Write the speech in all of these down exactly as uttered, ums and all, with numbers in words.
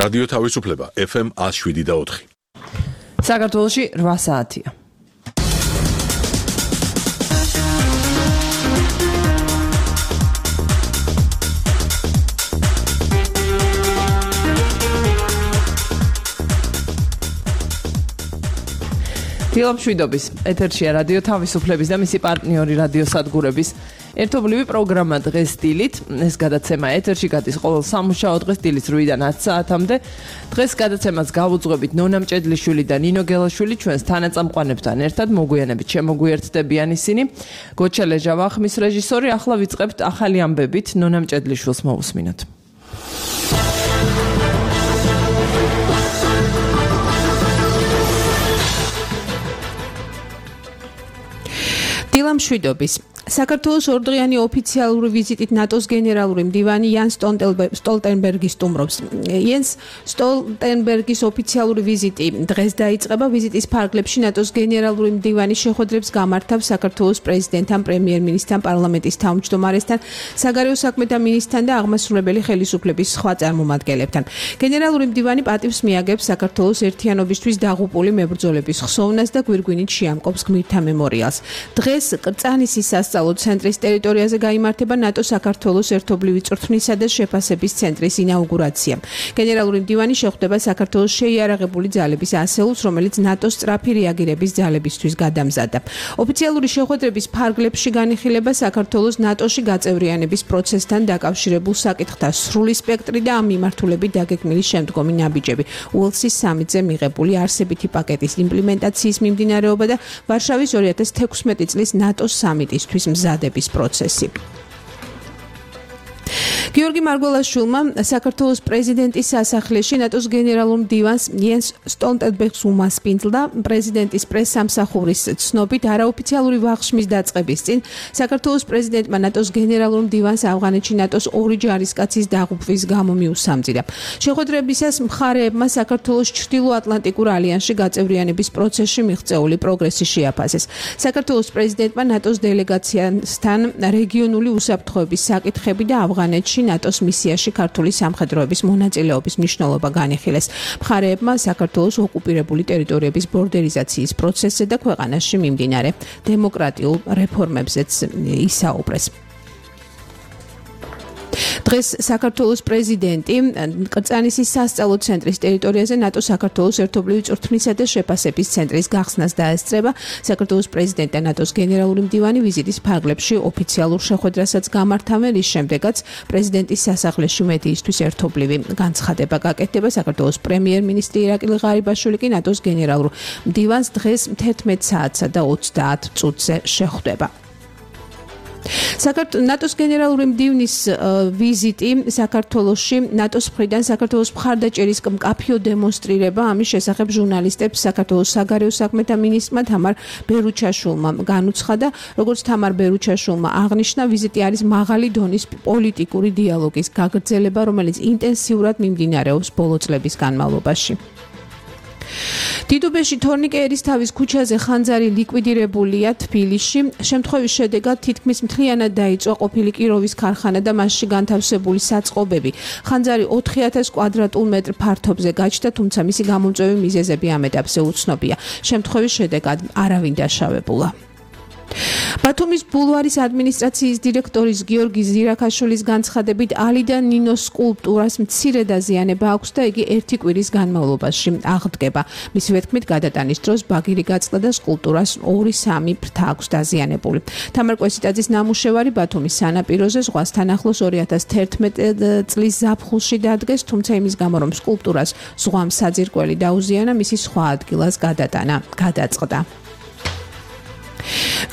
რადიო თავისუფლება ეფ ემ one oh seven და four. საქართველოში რვა საათია. დილამშვიდობის ეთერშია რადიო თავისუფლების და მისი პარტნიორი რადიო სადგურების ერთობლივი პროგრამა დღეს დილით. ეს გადაცემა ეთერში გადის ყოველ სამუშაო დღეს დილის რვიდან ათ საათამდე. დღეს გადაცემას გავუძღვებით ნონა მჭედლიშვილი და ნინო გელაშვილი ჩვენს თანაწამყვანებთან ერთად მოგვიანებით შემოგვიერთდებიან ისინი. გოჩა ლეჟავა ხმის რეჟისორი. ახლა ვიწყებთ ახალი ამბებით. ნონა მჭედლიშვილს მოусმინოთ. დილამშვიდობის საქართველოს ორდღიანი ოფიციალური ვიზიტით ნატოს გენერალური მდივანი იანს სტოლტენბერგი სტუმრობს. იანს სტოლტენბერგის ოფიციალური ვიზიტი დღეს დაიწყება. ვიზიტის ფარგლებში ნატოს გენერალური მდივანი შეხვედრებს გამართავს საქართველოს პრეზიდენტთან, პრემიერ-მინისტრთან, პარლამენტის თავმჯდომარესთან, საგარეო საქმეთა მინისტრთან და აღმასრულებელი ხელისუფლების სხვა წარმომადგენლებთან. გენერალური მდივანი პატივს მიაგებს საქართველოს ერთიანობისთვის დაღუპული მებრძოლების ხსოვნას და გვირგვინით შეამკობს გმირთა მემორიალს. დღეს კრწანისის სასწავლო ცენტრის ტერიტორიაზე გაიმართება ნატო საქართველოს ერთობლივი წვრთნისა და შეფასების ცენტრის ინაუგურაცია. გენერალური მდივანი შეხვდება საქართველოს შეიარაღებული ძალების ასეულს, რომელიც ნატოს სწრაფი რეაგირების ძალებისთვის გადამზადდა. ოფიციალური შეხვედრების ფარგლებში განიხილება საქართველოს ნატოში გაწევრიანების პროცესთან დაკავშირებულ საკითხთა სრული სპექტრი და ამ მიმართულებით დაგეგმილი შემდგომი ნაბიჯები. უელსის სამიტზე მიღებული არსებითი პაკეტის იმპლემენტაციის მიმდინარეობა და ვარშავის ორი ათას თექვსმეტი წლის ნატოს სამიტისთვის მზადების პროცესი. გიორგი მარგველაშვილმა საქართველოს პრეზიდენტის სასახლეში ნატოს გენერალურ მდივანს იანს სტოლტენბერგს უმასპინძლა. პრეზიდენტის პრესსამსახურის ცნობით არაოფიციალური ვახშმის დაწყების წინ საქართველოს პრეზიდენტმა ნატოს გენერალურ მდივანს ავღანეთში ნატოს ორი ჯარისკაცის დაღუპვის გამო მიუსამძირა. შეხვედრებისას მხარეებმა საქართველოს ჩრდილოატლანტიკურ ალიანსში გაწევრიანების პროცესში მიღწეული პროგრესი შეაფასეს. საქართველოს პრეზიდენტმა ნატოს დელეგაციასთან რეგიონული უსაფრთხოების საკითხები და ავღანეთში ნატოს მისიაში ქართული სამხედროების მონაწილეობის მნიშვნელობა განიხილეს. მხარეებმა საქართველოს ოკუპირებული ტერიტორიების ბორდერიზაციის პროცესზე და ქვეყანაში მიმდინარე დემოკრატიულ რეფორმებზეც ისაუბრეს. დღეს საქართველოს პრეზიდენტი კრწანისის სასწავლო ცენტრის ტერიტორიაზე ნატო საქართველოს ერთობლივი წვრთნისა და შეფასების ცენტრის გახსნას დაესწრება. საქართველოს პრეზიდენტი და ნატოს გენერალური მდივანი ვიზიტის ფარგლებში ოფიციალურ შეხვედრასაც გამართავენ. ის შემდეგაც პრეზიდენტის სასახლეში მედიისთვის ერთობლივი განცხადება გაკეთდება. საქართველოს პრემიერ-მინისტრი ირაკლი ღარიბაშვილი კი ნატოს გენერალურ მდივანს დღეს თერთმეტ საათსა და ოცდაათ წუთზე შეხვდება. ნატოს გენერალური მდივნის ვიზიტი საქართველოში ნატოს მხრიდან საქართველოს მხარდაჭერის მკაფიო დემონსტრირება. ამის შესახებ ჟურნალისტებს საქართველოს საგარეო საქმეთა მინისტრმა თამარ ბერუჩაშვილმა განუცხადა. როგორც თამარ ბერუჩაშვილმა აღნიშნა, ვიზიტი არის მაღალი დონის პოლიტიკური დიალოგის გაგრძელება, რომელიც ინტენსიურად მიმდინარეობს ბოლო წლების განმავლობაში. დიდუბეში თორნიკე ერისთავის ქუჩაზე ხანძარი ლიკვიდირებულია თბილისში. შემთხვევის შედეგად თითქმის მთლიანად დაიწვა ყოფილი კიროვის ქარხანა და მასში განთავსებული საწყობები. ხანძარი ოთხი ათას კვადრატულ მეტრ ფართობზე გაჩნდა, თუმცა მისი გამომწვევი მიზეზები ამ ეტაპზე უცნობია. შემთხვევის შედეგად არავინ დაშავებულა. ბათუმის ბულვარის ადმინისტრაციის დირექტორის გიორგი ზირაქაშვილის განცხადებით ალიდა ნინოს სკულპტურას მცირე დაზიანება აქვს და იგი ერთი კვირის განმავლობაში აღდგება. მისივე თქმით, გადატანის დროს ბაგირი გაწდა და სკულპტურას ორი სამი ფრთა აქვს დაზიანებული. თამარ კვესიტაძის ნამუშევარი ბათუმის სანაპიროზე ზღვასთან ახლოს ორი ათას თერთმეტი წლის ზაფხულში დადგეს, თუმცა იმის გამო, რომ სკულპტურას ზღვამ საძირკველი დაუზიანა, მისი სხვა ადგილას გადატანა გადაწყდა.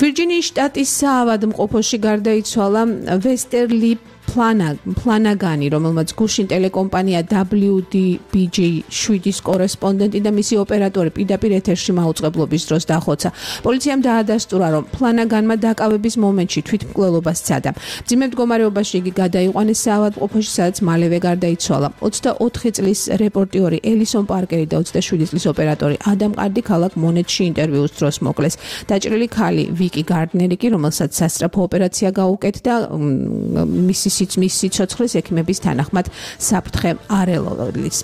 ვირჯინიის შტატის საავადმყოფოში გარდაიცვალა ვესტერლი ფლანაგანი, რომელმაც გუშინ ტელეკომპანია დაბლიუ დი ბი ჯი შვიდის კორესპონდენტი და მისი ოპერატორი პირდაპირ ეთერში მაუწყებლობის დროს დახოცა. პოლიციამ დაადასტურა, რომ ფლანაგანმა დაკავების მომენტში თვითმკვლელობა სცადა. მძიმე მდგომარეობაში იგი გადაიყვანეს საავადმყოფოში, სადაც მალევე გარდაიცვალა. ოცდაოთხი წლის რეპორტიორი ელისონ პარკერი და ოცდაშვიდი წლის ოპერატორი ადამ კარდი ქალაქ მონეტში ინტერვიუს დროს მოკლეს. დაჭრილი ქალი ვიკი გარდნერი კი, რომელსაც სასწრაფო ოპერაცია გაუკეთდა, მისი მის სიცოცხლეს ექიმების თანახმად საფრთხე არ ელოდის.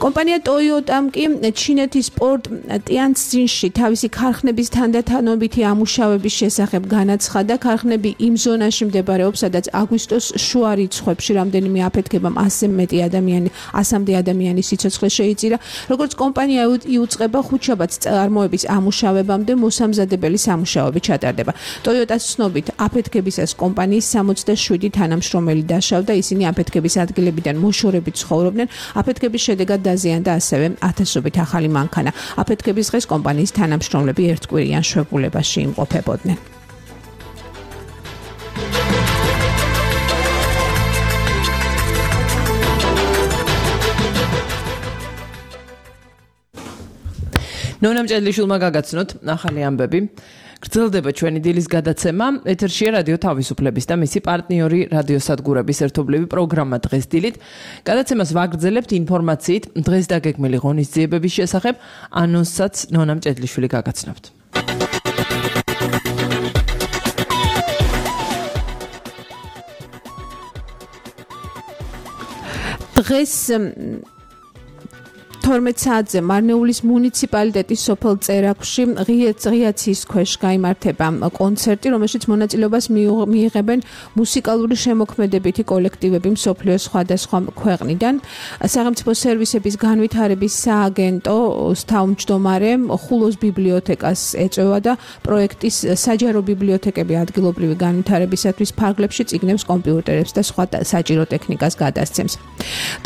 კომპანია Toyota-მ კი ჩინეთის პორტ ტიანცძინში თავისი ქარხნების თანდათანობითი ამუშავების შესახებ განაცხადა. ქარხნები იმ ზონაში მდებარეობს, სადაც აგვისტოს შუა რიცხვებში რამდენიმე აფეთქებამ ასზე მეტი ადამიანი, ასამდე ადამიანის სიცოცხლე შეიწირა. როგორც კომპანია იუწყება ხუთშაბათს წარმოების ამუშავებამდე მოსამზადებელი სამუშაოები ჩატარდება. Toyota-ს ცნობით, აფეთქებისას კომპანიის სამოცდაშვიდი თანამშრომელი დაშავდა, ისინი აფეთქების ადგილებიდან მოშორებით ცხოვრობდნენ. აფეთქების შედეგად დაზიანდა ასევე ათასობით ახალი მანქანა. აფეთქების დღეს კომპანიის თანამშრომლები ერთკვირიან შვებულებაში იმყოფებოდნენ. ნონა მჭედლიშვილმა გაგაცნოთ ახალი ამბები. გრძელდება ჩვენი დილის გადაცემა. ეთერშია რადიო თავისუფლების და მისი პარტნიორი რადიოსადგურების ერთობლივი პროგრამა დღეს დილით. გადაცემას ვაგრძელებთ ინფორმაციით დღეს დაგეგმილი ღონისძიებების შესახებ. ანონსსაც ნონა მჭედლიშვილი გაგაცნობთ. დღეს თორმეტ საათზე მარნეულის მუნიციპალიტეტის სოფელ წერაქვში ღიაცის ქვეშ გაიმართება კონცერტი, რომელშიც მონაწილეობას მიიღებენ მუსიკალური შემოქმედებითი კოლექტივები მსოფლიოს სხვადასხვა ქვეყნიდან. სახელმწიფო სერვისების განვითარების სააგენტოს თავმჯდომარე ხულოს ბიბლიოთეკას ეწევა და პროექტის საჯარო ბიბლიოთეკები ადგილობრივი განვითარებისათვის ფარგლებში წიგნებს, კომპიუტერებს და სხვა საჭირო ტექნიკას გადასცემს.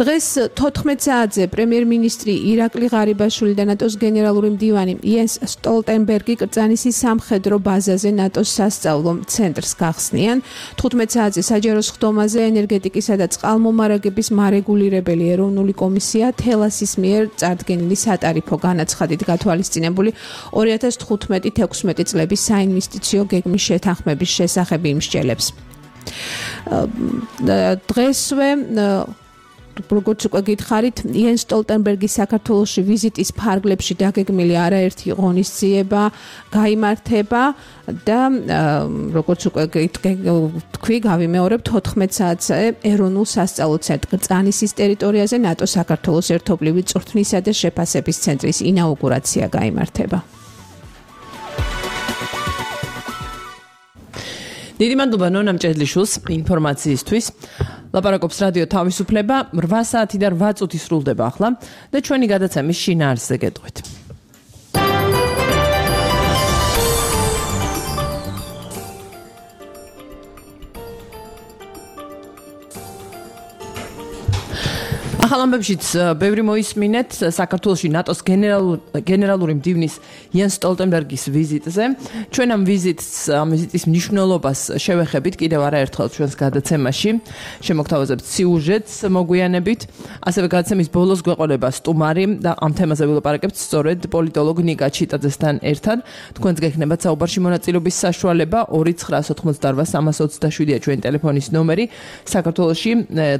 დღეს თოთხმეტ საათზე პრემიერ-მინისტრი ირაკლი ღარიბაშვილი და ნატოს გენერალური მდივანი იენს სტოლტენბერგი კრწანისის სამხედრო ბაზაზე ნატოს სასწავლო ცენტრს გახსნიან. თხუთმეტ საათზე საჯარო სხდომაზე ენერგეტიკისა და წყალმომარაგების მარეგულირებელი ეროვნული კომისია თელასის მიერ წარდგენილი სატარიფო განაცხადით გათვალისწინებული ორი ათას თხუთმეტი თექვსმეტი წლების საინვესტიციო გეგმის შეთანხმების შესახებ იმსჯელებს. დღესვე როგორც უკვე გითხარით, იენს სტოლტენბერგის საქართველოში ვიზიტის ფარგლებში დაგეგმილი არაერთი ღონისძიება გაიმართება და როგორც უკვე თქვი, გავიმეორებთ თოთხმეტ საათზე ეროვნულ სასწავლო ცენტრ კრწანისის ტერიტორიაზე ნატო საქართველოს ერთობლივი წვრთნისა და შეფასების ცენტრის ინაუგურაცია გაიმართება. დიდი მადლობა ნონა მჭედლიშვილს ინფორმაციისთვის. ლაპარაკობს რადიო თავისუფლება. რვა საათი და რვა წუთი სრულდება ახლა და ჩვენი გადაცემის შინაარსზე გეტყვით. ახალ ამბებშიც ბევრი მოისმინეთ საქართველოში ნატოს გენერალური მდივნის იენს სტოლტენბერგის ვიზიტზე. ჩვენ ამ ვიზიტს, ამ ვიზიტის მნიშვნელობას შევეხებით კიდევ არაერთხელ ჩვენს გადაცემაში. შემოგთავაზებთ სიუჟეტს მოგვიანებით. ასევე გადაცემის ბოლოს გვეყოლება სტუმარი და ამ თემაზე ვილაპარაკებთ სწორედ პოლიტოლოგ ნიკა ჩიტაძესთან ერთად. თქვენს გექნებათ საუბარში მონაწილეობის საშუალება ორი ცხრა ოცდარვა სამას ოცდაშვიდია ჩვენი ტელეფონის ნომერი. საქართველოში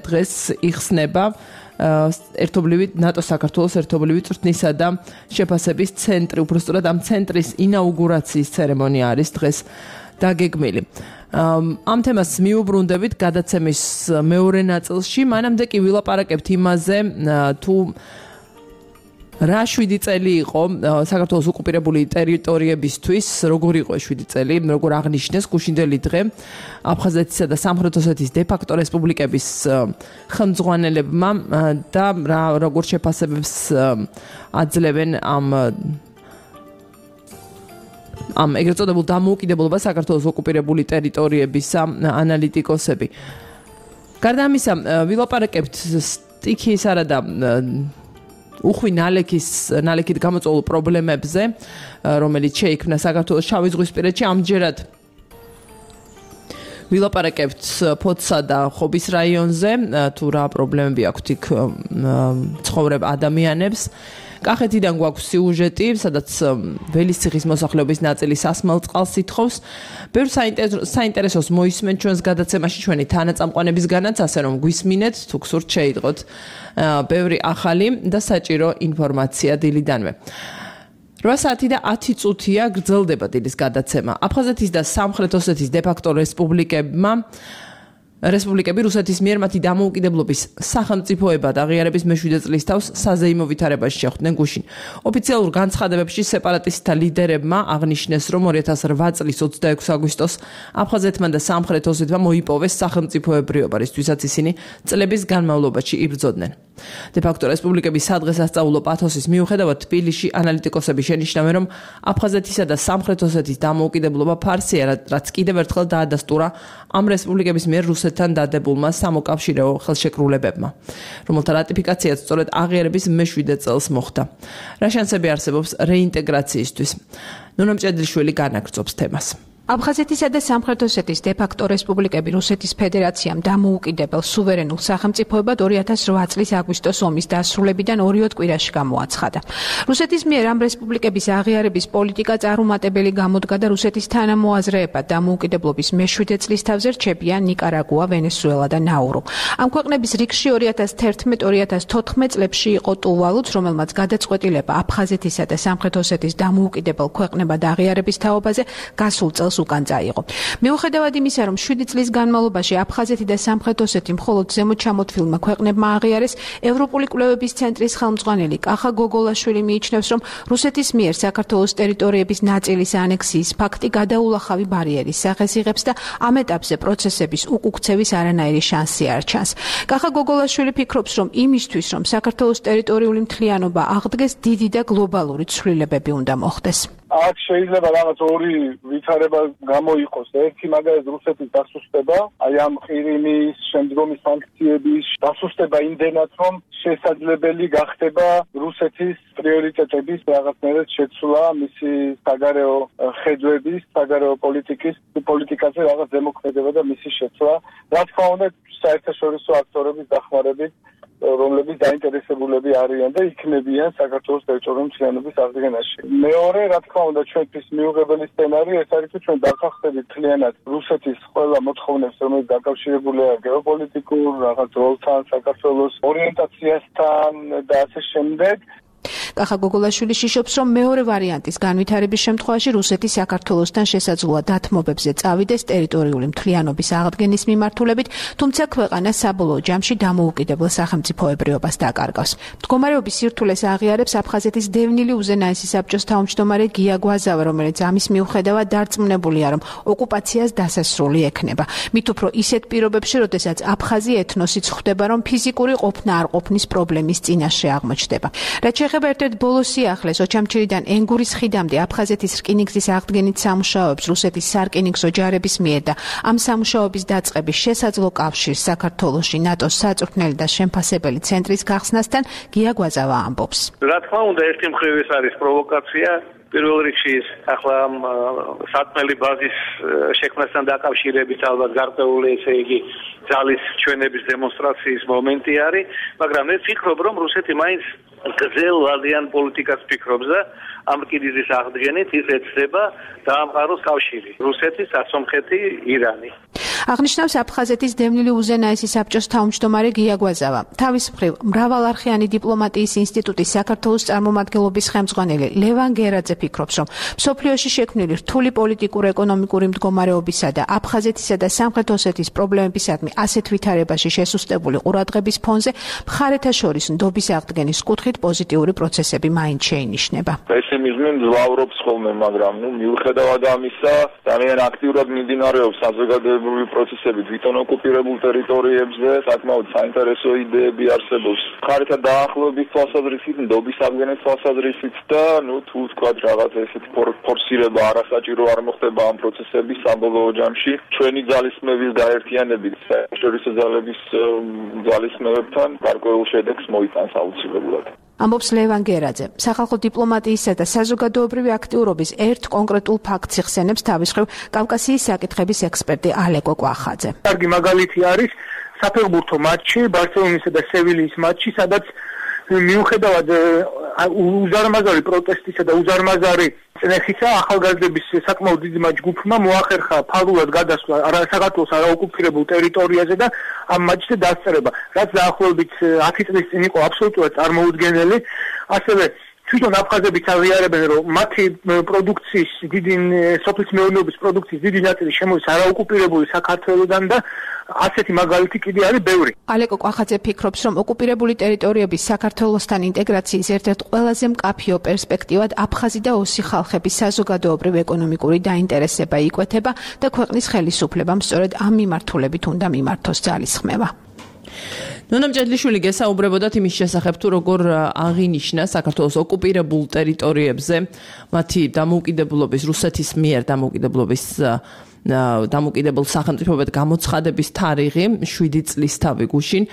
დღეს იხსნება ერთობლივი ნატო საქართველოს ერთობლივი წვრთნისა და შეფასების ცენტრი, უბრალოდ ამ ცენტრის ინაუგურაციის ცერემონია არის დღეს დაგეგმილი. ამ თემას მიუბრუნდებით გადაცემის მეორე ნაწილში, მანამდე კი ვილაპარაკებთ იმაზე, თუ რა შვიდი წელი იყო საქართველოს ოკუპირებული ტერიტორიებისთვის, როგორ იყო შვიდი წელი, როგორ აღნიშნეს გუშინდელი დღე აფხაზეთისა და სამხრეთ ოსეთის დე-ფაქტო რესპუბლიკების ხელმძღვანელებმა და როგორ შეფასებებს აძლევენ ამ ამ ეგრეთ წოდებულ დამოუკიდებლობას საქართველოს ოკუპირებული ტერიტორიებისა ანალიტიკოსები. გარდა ამისა, ვილაპარაკებთ სტიქიისა და უხვი ნალექის ნალექით გამოწვეულ პრობლემებზე, რომელიც შეიქმნა საქართველოს შავი ზღვისპირეთში. ამჯერად ვილაპარაკებთ ფოთსა და ხობის რაიონზე, თუ რა პრობლემები აქვთ იქ ცხოვრებ ადამიანებს. კახეთიდან გვაქვს სიუჟეტი, სადაც ველისციხის მოსახლეობის ნაწილი სასმელ წყალს ითხოვს. ბევრ საინტერესოს მოისმენთ ჩვენს გადაცემაში ჩვენი თანაწამყვანებისგანაც, ასე რომ გვისმინეთ, თუ გსურთ შეიტყოთ ბევრი ახალი და საჭირო ინფორმაცია დილიდანვე. რვა საათი და ათი წუთია გრძელდება დილის გადაცემა. აფხაზეთის და სამხრეთ ოსეთის დე-ფაქტო რესპუბლიკებმა რესპუბლიკები რუსეთის მიერ მათი დამოუკიდებლობის სახელმწიფოებად აღიარების მეშვიდე წლის თავს საზეიმო ვითარებაში შეხვდნენ გუშინ. ოფიციალურ განცხადებებში სეპარატისტთა ლიდერებმა აღნიშნეს, რომ ორი ათას რვა წლის ოცდაექვსი აგვისტოს აფხაზეთმა და სამხრეთ ოსეთმა მოიპოვეს სახელმწიფოებრიობა, რისთვისაც ისინი წლების განმავლობაში იბრძოდნენ. დე-ფაქტო რესპუბლიკების სადღესასწაულო პათოსის მიუხედავად თბილისში ანალიტიკოსები შენიშნავენ, რომ აფხაზეთისა და სამხრეთ ოსეთის დამოუკიდებლობა ფარსია, რაც კიდევ ერთხელ დაადასტურა ამ რესპუბლიკების მიერ რუსეთთან დადებულმა სამოკავშირეო ხელშეკრულებებმა, რომელთა რატიფიკაციაც სწორედ აღიარების მეშვიდე წელს მოხდა. რა შანსები არსებობს რეინტეგრაციისთვის? ნუნა მჭედლიშვილი განაგრძობს თემას. აფხაზეთისა და სამხრეთ ოსეთის დე-ფაქტო რესპუბლიკები რუსეთის ფედერაციამ დამოუკიდებელ სუვერენულ სახელმწიფოებად ორი ათას რვა წლის აგვისტოს ომის დასრულებიდან ორიოდ კვირაში გამოაცხადა. რუსეთის მიერ ამ რესპუბლიკების აღიარების პოლიტიკა წარუმატებელი გამოდგა და რუსეთის თანამოაზრეებად დამოუკიდებლობის მეშვიდე წლის თავზე რჩებიან ნიკარაგუა, ვენესუელა და ნაურუ. ამ ქვეყნების რიგში ორი ათას თერთმეტ ორი ათას თოთხმეტ წლებში იყო ტუვალუც, რომელმაც გადაწყვეტილება აფხაზეთისა და სამხრეთ ოსეთის დამოუკიდებელ ქვეყნებად აღიარების თაობაზე გასულ წელს უკან წაიღო. მიუხედავად იმისა, რომ შვიდი წლის განმავლობაში აფხაზეთი და სამხრეთ ოსეთი მხოლოდ ზემოჩამოთვლილმა ქვეყნებმა აღიარეს, ევროპული კვლევების ცენტრის ხელმძღვანელი კახა გოგოლაშვილი მიიჩნევს, რომ რუსეთის მიერ საქართველოს ტერიტორიების ნაწილის ანექსიის ფაქტი გადაულახავი ბარიერის სახეს იღებს და ამ ეტაპზე პროცესების უკუქცევის არანაირი შანსი არ ჩანს. კახა გოგოლაშვილი ფიქრობს, რომ იმისთვის, რომ საქართველოს ტერიტორიული მთლიანობა აღდგეს, დიდი და გლობალური ცვლილებები უნდა მოხდეს. აქ შეიძლება რაღაც ორი ვითარება გამოიყოს. ერთი მაგალითად რუსეთის დასუსტება, აი ამ ყირიმის შემდგომი სანქციების დასუსტება იმდენად, რომ შესაძლებელი გახდება რუსეთის პრიორიტეტების რაღაცნაირად შეცვლა, მისი საგარეო ხედვების, საგარეო პოლიტიკის, პოლიტიკაზე რაღაც ზემოქმედება და მისი შეცვლა. რა თქმა უნდა, საერთაშორისო აქტორების დახმარებით, რომლებიც დაინტერესებულები არიან და იქნებიან საქართველოს ტერიტორიული მთლიანობის აღდგენაში. მეორე, რა თქმა უნდა, ჩვენთვის მიუღებელი სცენარი ეს არის, თუ ჩვენ დავახსენებთ მთლიანად რუსეთის ყველა მოთხოვნებს, რომელიც დაკავშირებულია გეოპოლიტიკურ რაღაც როლთან, საქართველოს ორიენტაციასთან და ასე შემდეგ. კახა გოგოლაშვილი შიშობს, რომ მეორე ვარიანტის განვითარების შემთხვევაში რუსეთი საქართველოსთან შესაძლოა დათმობებზე წავიდეს ტერიტორიული მთლიანობის აღდგენის მიმართულებით, თუმცა ქვეყანა საბოლოო ჯამში დამოუკიდებელ სახელმწიფოებრიობას დაკარგავს. მდგომარეობის სირთულეს აღიარებს აფხაზეთის დევნილი უზენაესი საბჭოს თავმჯდომარე გია გვაზავა, რომელიც ამის მიუხედავად დარწმუნებულია, რომ ოკუპაციას დასასრული ექნება. მით უფრო ისეთ პირობებში, როდესაც აფხაზი ეთნოსიც ხვდება, რომ ფიზიკური ყოფნა არ ყოფნის პრობლემის წინაშე აღმოჩნდება. რაც შეეხება ერთ-ერთ ბოლო სიახლეს ოჩამჩირიდან ენგურის ხიდამდე აფხაზეთის რკინიგზის აღდგენით სამუშაოებს რუსეთის სარკინიგზო ჯარების მიერ და ამ სამუშაოების დაწყების შესაძლო კავშირს საქართველოში ნატოს საწვრთნელი და შემფასებელი ცენტრის გახსნასთან გია გვაზავა ამბობს. რა თქმა უნდა, ერთი მხრივ ეს არის პროვოკაცია. პირველ რიგში ახლა სათმელი ბაზის შექმნასთან დაკავშირებით ალბათ გარკვეული ესე იგი ძალის ჩვენების დემონსტრაციის მომენტი არის, მაგრამ მე ვფიქრობ, რომ რუსეთი მაინც გრძელ ვადიან პოლიტიკას ფიქრობს და ამ რკინიგზის აღდგენით ის ეცდება დაამყაროს კავშირი რუსეთის, ასომხეთი, ირანი. აღნიშნავს აფხაზეთის დევნილი უზენაესი საბჭოს თავმჯდომარე გია გვაზავა. თავის მხრივ, მრავალარხიანი დიპლომატიის ინსტიტუტის საქართველოს წარმომადგენლობის ხელმძღვანელი ლევან გერაძე ფიქრობს, რომ მსოფლიოში შექმნილი რთული პოლიტიკურ-ეკონომიკური მდგომარეობისა და აფხაზეთისა და სამხრეთ ოსეთის პრობლემებისადმი ასეთ ვითარებაში შესუსტებული ყურადღების ფონზე მხარეთა შორის ნდობის აღდგენის კუთხით პოზიტიური პროცესები მაინც შეინიშნება. პესიმიზმი მძლავრობს ხოლმე, მაგრამ ნუ მიუხედავად ამისა, ძალიან აქტიურად მიმდინარეობს საზოგადოებრივი პროცესები თვითონ ოკუპირებულ ტერიტორიებზე, საკმაოდ საინტერესო იდეები არსებობს. მხარეთა დაახლოების თვალსაზრისით, ნდობის აღდგენის თვალსაზრისით და ნუ თუ ვთქვათ რაღაც ესეთი ფორსირება არასაჭირო არ მოხდება ამ პროცესების საბოლოო ჯამში. ჩვენი ძალისხმევის გაერთიანებით საერთაშორისო ძალების ძალისხმევებთან გარკვეულ შედეგს მოიტანს აუცილებლად. ამბობს ლევან გერაძე. სახალხო დიპლომატიისა და საზოგადოებრივი აქტიურობის ერთ კონკრეტულ ფაქტს იხსენებს თავის მხრივ კავკასიის საკითხების ექსპერტი ალეკო კვახაძე. კარგი მაგალითი არის საფეხბურთო მატჩი, ბარსელონისა და სევილიის მატჩი, სადაც მიუხედავად უზარმაზარი პროტესტისა და უზარმაზარი წნეხისა ახალგაზრდების საკმაოდ დიდი ჯგუფმა მოახერხა ფარულად გადასვლა საქართველოს არაოკუპირებულ ტერიტორიაზე და ამ მატჩზე დასწრება, რაც დაახლოებით ათი წლის წინ იყო აბსოლუტურად წარმოუდგენელი. ასევე თვითონ აფხაზებიც აღიარებენ, რომ მათი პროდუქციის დიდი სოფლის მეურნეობის პროდუქციის დიდი ნაწილი შემოდის არაოკუპირებული საქართველოდან და ასეთი მაგალითი კიდე არის ბევრი. ალეკო კვახაძე ფიქრობს, რომ ოკუპირებული ტერიტორიების საქართველოსთან ინტეგრაციის ერთ-ერთ ყველაზე მკაფიო პერსპექტივად აფხაზი და ოსი ხალხების საზოგადოებრივ ეკონომიკური დაინტერესება იკვეთება და ქვეყნის ხელისუფლებამ სწორედ ამ მიმართულებით უნდა მიმართოს ძალისხმევა. ნონა მჭედლიშვილი გესაუბრებოდათ იმის შესახებ, თუ როგორ აღინიშნა საქართველოს ოკუპირებულ ტერიტორიებზე მათი დამოუკიდებლობის, რუსეთის მიერ დამოუკიდებლობის დამოუკიდებელ სახელმწიფოებად გამოცხადების თარიღი შვიდი წლის თავი გუშინ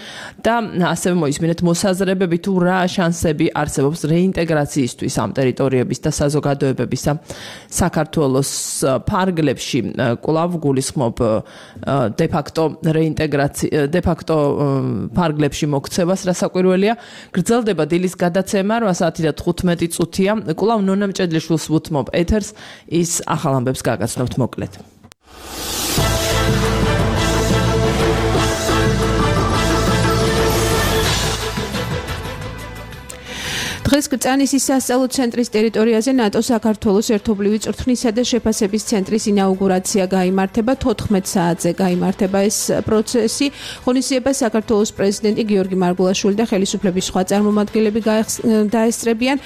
და ასევე მოისმინეთ მოსაზრებები თუ რა შანსები არსებობს რეინტეგრაციისთვის ამ ტერიტორიების და საზოგადოებებისა საქართველოს ფარგლებში. კვლავ გულისხმობ დე-ფაქტო რეინტეგრაცია დე-ფაქტო ფარგლებში მოქცევას, რა საკვირველია. გრძელდება დილის გადაცემა რვა საათი და თხუთმეტი წუთია. კვლავ ნონა მჭედლიშვილს ვუთმობ ეთერს, ის ახალ ამბებს გაგაცნობთ მოკლედ. დღეს კრწანისის სასწავლო ცენტრის ტერიტორიაზე ნატო საქართველოს ერთობლივი წვრთნისა და შეფასების ცენტრის ინაუგურაცია გაიმართება. თოთხმეტ საათზე გაიმართება ეს პროცესი. ღონისძიებას საქართველოს პრეზიდენტი გიორგი მარგულაშვილი და ხელისუფლების სხვა წარმომადგენლები დაესწრებიან.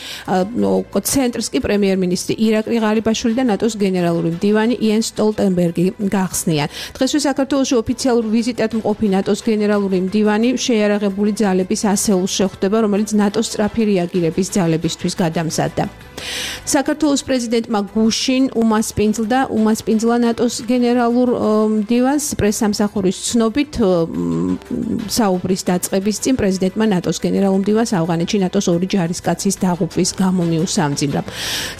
ცენტრს კი პრემიერ-მინისტრი ირაკლი ღარიბაშვილი და ნატოს გენერალური მდივანი იენს სტოლტენბერგი გახსნიან. დღესვე საქართველოში ოფიციალურ ვიზიტად მყოფი ნატოს გენერალური მდივანი შეიარაღებული ძალების ასეულს შეხვდება, რომელიც ნატოს სწრაფი რეაგირება ძალებისთვის გადამზადდა. საქართველოს პრეზიდენტმა გუშინ უმასპინძლდა უმასპინძლა ნატოს გენერალურ მდივანს პრესსამსახურის ცნობით საუბრის დაწყების წინ პრეზიდენტმა ნატოს გენერალურ მდივანს ავღანეთში ნატოს ორი ჯარისკაცის დაღუპვის გამო მიუსამძიმრა.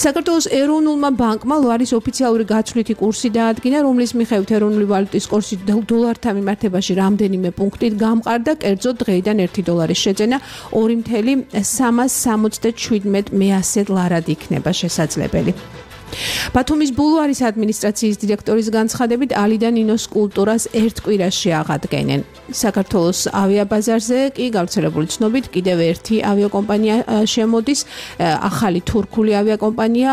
საქართველოს ეროვნულმა ბანკმა ლარის ოფიციალური გაცვლითი კურსი დაადგინა, რომლის მიხედვით ეროვნული ვალუტის კურსი დოლართან მიმართებაში რამდენიმე პუნქტით გამყარდა, კერძოდ დღეიდან ერთი დოლარის შეძენა ორი ათეულს სამას სამოცდაშვიდმეტ მეასედ ლარად იქნება შესაძლებელი. ბათუმის ბულვარის ადმინისტრაციის დირექტორის განცხადებით ალი და ნინოს კულტურას ერთ კვირაში აღადგენენ. საქართველოს ავიაბაზარზე კი გავრცელებული ცნობით კიდევ ერთი ავიაკომპანია შემოდის. ახალი თურქული ავიაკომპანია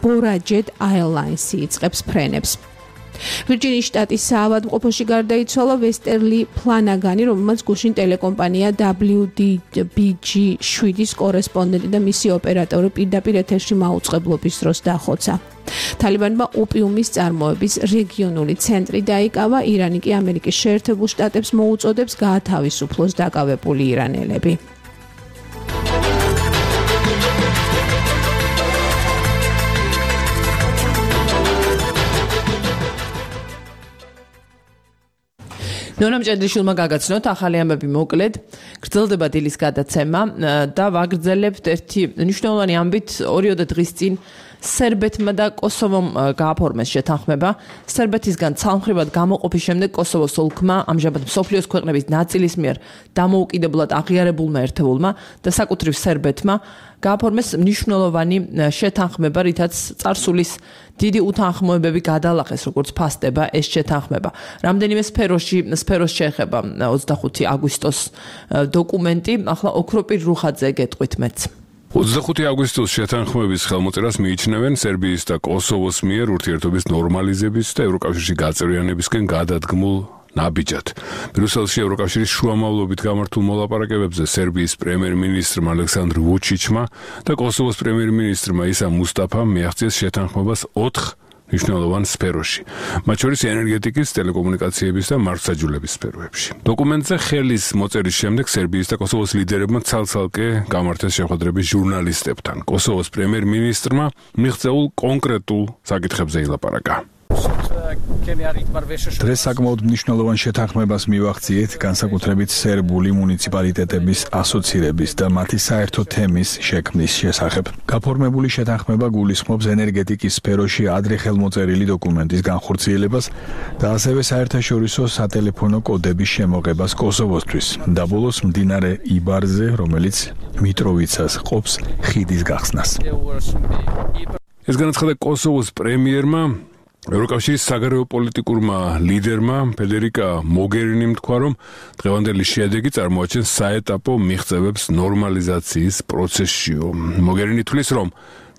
ბორაჯეტ აირლაინსი იწყებს ფრენებს. ვირჯინიის შტატის საავადმყოფოში გარდაიცვალა ვესტერლი ფლანაგანი, რომელმაც გუშინ ტელეკომპანია დაბლიუ დი ბი ჯი შვიდის კორესპონდენტი და მისი ოპერატორი პირდაპირ ეთერში მაუწყებლობის დროს დახოცა. თალიბანმა ოპიუმის წარმოების რეგიონული ცენტრი დაიკავა, ირანი კი ამერიკის შეერთებულ შტატებს მოუწოდებს გაათავისუფლოს დაკავებული ირანელები. ნონა მჭედლიშვილმა გაგაცნოთ ახალი ამბები მოკლედ. გრძელდება დილის გადაცემა და ვაგრძელებთ ერთი მნიშვნელოვანი ამბით. ორიოდე დღის წინ სერბეთმა და კოსოვომ გააფორმეს შეთანხმება. სერბეთისგან ცალმხრივად გამოყოფის შემდეგ კოსოვოს ოლქმა ამჟამად მსოფლიოს ქვეყნების ნაწილის მიერ დამოუკიდებლად აღიარებულმა ერთეულმა და საკუთრივ სერბეთმა გააფორმეს მნიშვნელოვანი შეთანხმება, რითაც წარსულის დიდი უთანხმოებები გადალახეს, როგორც ფასდება ეს შეთანხმება. რამდენიმე სფეროში სფეროს შეეხება ოცდახუთი აგვისტოს დოკუმენტი. ახლა ოქროპირ რუხაძე გეტყვით მეც. ოცდახუთი აგვისტოს შეთანხმების ხელმოწერას მიიჩნევენ სერბიის და კოსოვოს მიერ ურთიერთობის ნორმალიზების და ევროკავშირში გაწევრიანებისკენ გადადგმულ ნაბიჯად. ბრიუსელში ევროკავშირის შუამავლობით გამართულ მოლაპარაკებებზე სერბიის პრემიერ-მინისტრმა ალექსანდრ ვუჩიჩმა და კოსოვოს პრემიერ-მინისტრმა ისა მუსტაფამ მიაღწიეს შეთანხმებას ოთხ მნიშვნელოვან სფეროში, მათ შორის ენერგეტიკის, ტელეკომუნიკაციების და მართლმსაჯულების სფეროებში. დოკუმენტზე ხელის მოწერის შემდეგ სერბიის და კოსოვოს ლიდერებმა ცალ-ცალკე გამართეს შეხვედრები ჟურნალისტებთან. კოსოვოს პრემიერ-მინისტრმა მიღწეულ კონკრეტულ საკითხებზე ილაპარაკა. დღეს საკმაოდ მნიშვნელოვან შეთანხმებას მივახციეთ, განსაკუთრებით სერბული მუნიციპალიტეტების ასოცირების და მათი საერთო თემის შექმნის შესახებ. გაფორმებული შეთანხმება გულისხმობს ენერგეტიკის სფეროში ადრე ხელმოწერილი დოკუმენტის განხორციელებას და ასევე საერთაშორისო სატელეფონო კოდების შემოღებას კოსოვოსთვის და ბოლოს მდინარე იბარზე, რომელიც მიტროვიცას ყოფს, ხიდის გახსნას. ეს განაცხადა კოსოვოს პრემიერმა ევროკავშირის საგარეო პოლიტიკურმა ლიდერმა ფედერიკა მოგერინიმ თქვა, რომ დღევანდელი შედეგი წარმოაჩენს საეტაპო მიღწევებს ნორმალიზაციის პროცესშიო. მოგერინი თვლის, რომ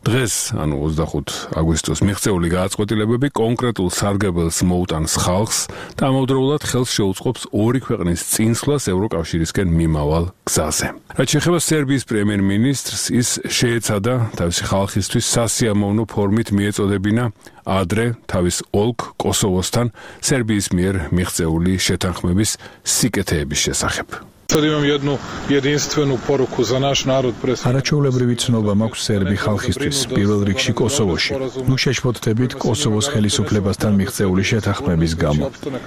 დღეს, ანუ ოცდახუთი აგვისტოს მიღწეული გააწყვეტილებები კონკრეტულ სარგებელს მოუტანს ხალხს და ამავდროულად ხელს შეუწყობს ორი ქვეყნის წინსვლას ევროკავშირისკენ მიმავალ გზაზე. რაც შეეხება სერბიის პრემიერ-მინისტრს, ის შეეცადა თავისი ხალხისთვის სასიამოვნო ფორმით მიეწოდებინა ადრე თავის ოლქ კოსოვოსთან სერბიის მიერ მიღწეული შეთანხმების სიკეთეების შესახებ. არაჩვეულებრივი ცნობა მაქვს სერბი ხალხისთვის, პირველ რიგში კოსოვოში. ნუ შეშფოთდებით კოსოვოს ხელისუფლებასთან მიღწეული შეთანხმების გამო.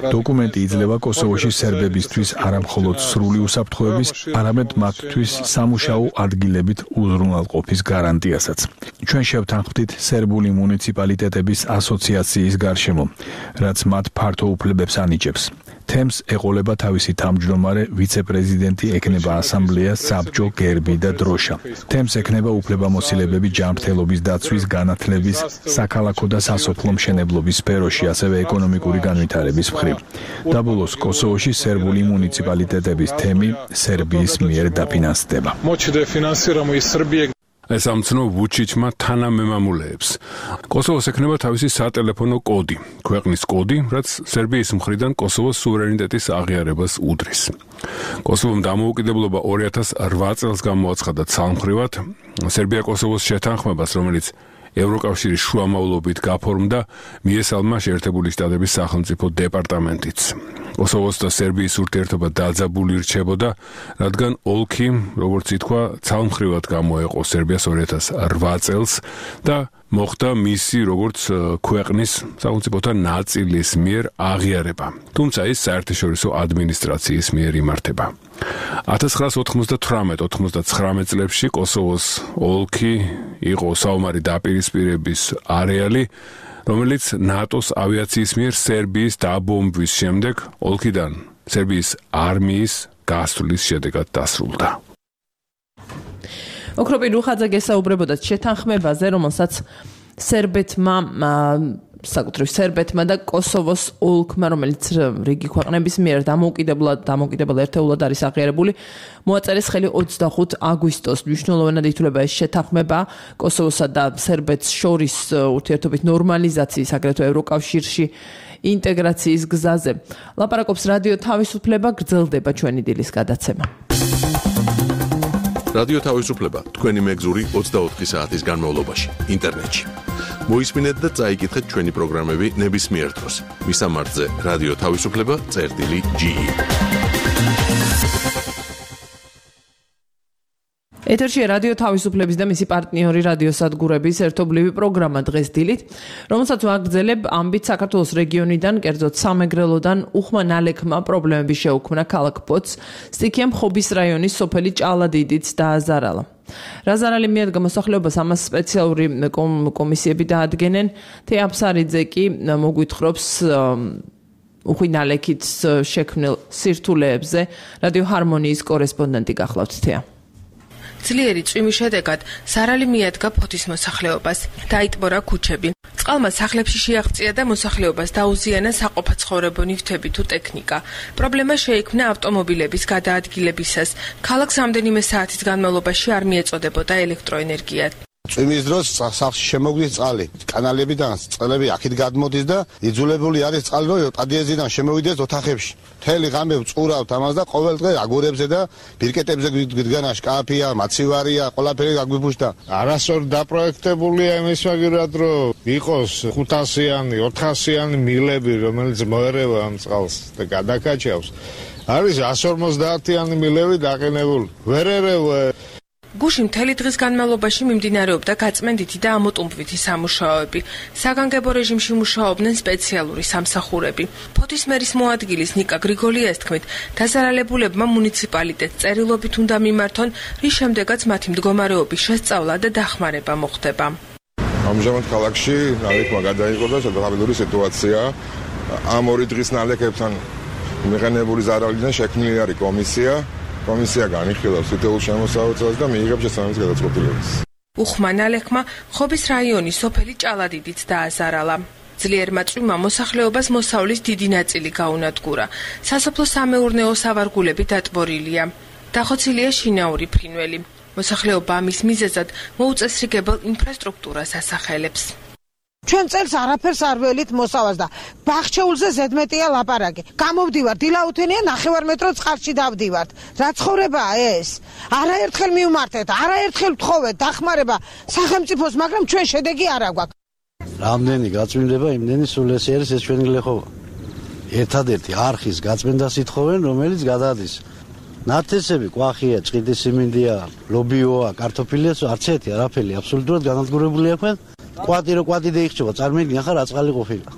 დოკუმენტი იძლევა კოსოვოში სერბებისთვის არამხოლოდ სრული უსაფრთხოების, არამედ მათთვის სამუშაო ადგილებით უზრუნველყოფის გარანტიასაც. ჩვენ შევთანხმდით სერბული მუნიციპალიტეტების ასოციაციის გარშემო, რაც მათ ფართო უფლებებს ანიჭებს. თემს ეყოლება თავისი თავმჯდომარე ვიცე-პრეზიდენტი, ექნება ასამბლეა, საბჭო, გერბი და დროშა. თემს ექნება უფლებამოსილებები ჯანმრთელობის დაცვის, განათლების, საქალაქო და სასოფლო მშენებლობის სფეროში, ასევე ეკონომიკური განვითარების მხრივ. და ბოლოს კოსოვოში სერბული მუნიციპალიტეტების თემი სერბიის მიერ დაფინანსდება. ეს ამცნო ვუჩიჩმა თანამემამულეებს. კოსოვოს ექნება თავისი სატელეფონო კოდი, ქვეყნის კოდი, რაც სერბიის მხრიდან კოსოვოს სუვერენიტეტის აღიარებას უდრის. კოსოვომ დამოუკიდებლობა ორი ათას ოთხ წელს გამოაცხადა ცალმხრივად. სერბია კოსოვოს შეთანხმებას, რომელიც ევროკავშირის შუამავლობით გაფორმდა, მიესალმა შეერთებული შტატების სახელმწიფო დეპარტამენტიც. კოსოვოს და სერბიის ურთიერთობა დაძაბული რჩებოდა, რადგან ოლქი, როგორც ითქვა, ცალმხრივად გამოეყო სერბიას ორი ათას ოთხ წელს და მოხდა მისი როგორც ქვეყნის სახელმწიფოთა ნაწილის მიერ აღიარება. თუმცა ის საერთაშორისო ადმინისტრაციის მიერ იმართება. ათას ცხრაას ოთხმოცდათვრამეტ ოთხმოცდაცხრამეტ წლებში კოსოვოს ოლქი იყო საომარი დაპირისპირების არეალი, რომელიც ნატოს ავიაციის მიერ სერბიის დაბომბვის შემდეგ ოლქიდან სერბიის არმიის გასვლის შედეგად დასრულდა. ოქროპი რუხაძე გესაუბრებოდა შეთანხმებაზე, რომელსაც სერბეთმა საკუთრივ სერბეთმა და კოსოვოს ოლქმა, რომელიც რიგი ქვეყნების მიერ დამოუკიდებლად დამოუკიდებელ ერთეულად არის აღიარებული, მოაწერეს ხელი ოცდახუთი აგვისტოს. მნიშვნელოვნად ითვლება ეს შეთანხმება კოსოვოსა და სერბეთს შორის ურთიერთობის ნორმალიზაციის, აგრეთვე ევროკავშირში ინტეგრაციის გზაზე. ლაპარაკობს რადიო თავისუფლება, გრძელდება ჩვენი დილის გადაცემა. რადიო თავისუფლება, თქვენი მეგზური ოცდაოთხი საათის განმავლობაში, ინტერნეტში. მოისმინეთ და წაიკითხეთ ჩვენი პროგრამები ნებისმიერ დროს. მისამართზე რადიო თავისუფლება წერტილი ჯი. ეთერშია რადიო თავისუფლების და მისი პარტნიორი რადიოსადგურების ერთობლივი პროგრამა დღეს დილით, რომელსაც ვაგრძელებ ამბით საქართველოს რეგიონიდან, კერძოდ სამეგრელოდან უხმა ნალექმა პრობლემები შეუქმნა ქალაქ პოც, სტიქიამ ხობის რაიონის სოფელი ჭალადიდიც დააზარალა. რაზარალი მიადგა მოსახლეობას, ამას სპეციალური კომისიები დაადგენენ. თეაფსარიძე კი მოგვითხრობს უხვი ნალექით შექმნილ სირთულეებზე. რადიო ჰარმონიის კორესპონდენტი გახლავთ თეა. ძლიერი წვიმის შედეგად ზარალი მიადგა ფოთის მოსახლეობას, დაიტბორა ქუჩები. წყალმა სახლებში შეაღწია და მოსახლეობას დაუზიანა საყოფაცხოვრებო ნივთები თუ ტექნიკა. პრობლემა შეიქმნა ავტომობილების გადაადგილებისას. ქალაქს რამდენიმე საათის განმავლობაში არ მიეწოდებოდა ელექტროენერგია. წვიმის დროს სახლში შემოგვდის წყალი, კანალებიდან წყლები აქეთ გადმოდის და იძულებული არის წყალი რომ პადიეზიდან შემოვიდეს ოთახებში. მთელი ღამე ვწყურავთ ამას და ყოველ დღე აგურებზე და ბირკეტებზე გვიდგანა შკაფია, მაცივარია, ყველაფერი გაგვიფუშდა. არასწორ დაპროექტებულია იმის მაგერად რომ იყოს ხუთასიანი, ოთხასიანი მილები, რომელიც მოერევა ამ წყალს და გადაკაჩავს. არის εκατს ორმოცდაათიანი მილები დაყენებული. ვერ ერევა. გუში მთელი დღის განმავლობაში მიმდინარეობდა გაწმენდითი და ამოტუმბვითი სამუშაოები. საგანგებო რეჟიმში მუშაობდნენ სპეციალური სამსახურები. ფოთის მერის მოადგილის ნიკა გრიგოლიას თქმით, დაზარალებულებმა მუნიციპალიტეტს წერილობით უნდა მიმართონ, რის შემდეგაც მათი მდგომარეობის შესწავლა და დახმარება მოხდება. ამჟამად ქალაქში ნალექმა გადაიღო და სადღაც სიტუაცია. ამ ორი დღის ნალექებთან მიღებული ზარალიდან შექმნილი არის კომისია. კომისია განიხილავს თითოეულ შემოსავალს და მიიღებს შესაბამის გადაწყვეტილებას. უხმა ნალექმა ხობის რაიონის სოფელი ჭალადიდიც დააზარალა. ძლიერმა წვიმამ მოსახლეობას მოსავლის დიდი ნაწილი გაუნადგურა. სასოფლო-სამეურნეო სავარგულები დატბორილია. დახოცილია შინაური ფრინველი. მოსახლეობა ამის მიზეზად მოუწესრიგებელ ინფრასტრუქტურას ასახელებს. ჩვენ წელს არაფერს არ ველით მოსავას და ბახჩეულზე ზედმეტია ლაპარაკი. გამოვდივარ დილაუთენია ნახევარ მეტრო წყალში დავდივართ. რა ცხოვრებაა ეს? არაერთხელ მივმართეთ, არაერთხელ ვთხოვეთ დახმარება სახელმწიფოს, მაგრამ ჩვენ შედეგი არ აგვაქვს. რამდენი გაწმინდება, იმდენი სულ ეს არის ეს ჩვენი გლეხობა. ერთადერთი არხის გაწმენდას ითხოვენ, რომელიც გადადის. ნათესები, კვახია, ჭყიდი სიმინდია, ლობიოა, კარტოფილია, არც ერთი არაფერი აბსოლუტურად განადგურებული აქვთ. კვატი რო კვატი დაიხჭება, წარმოიდგინე ახლა რა წყალი ყოფილა.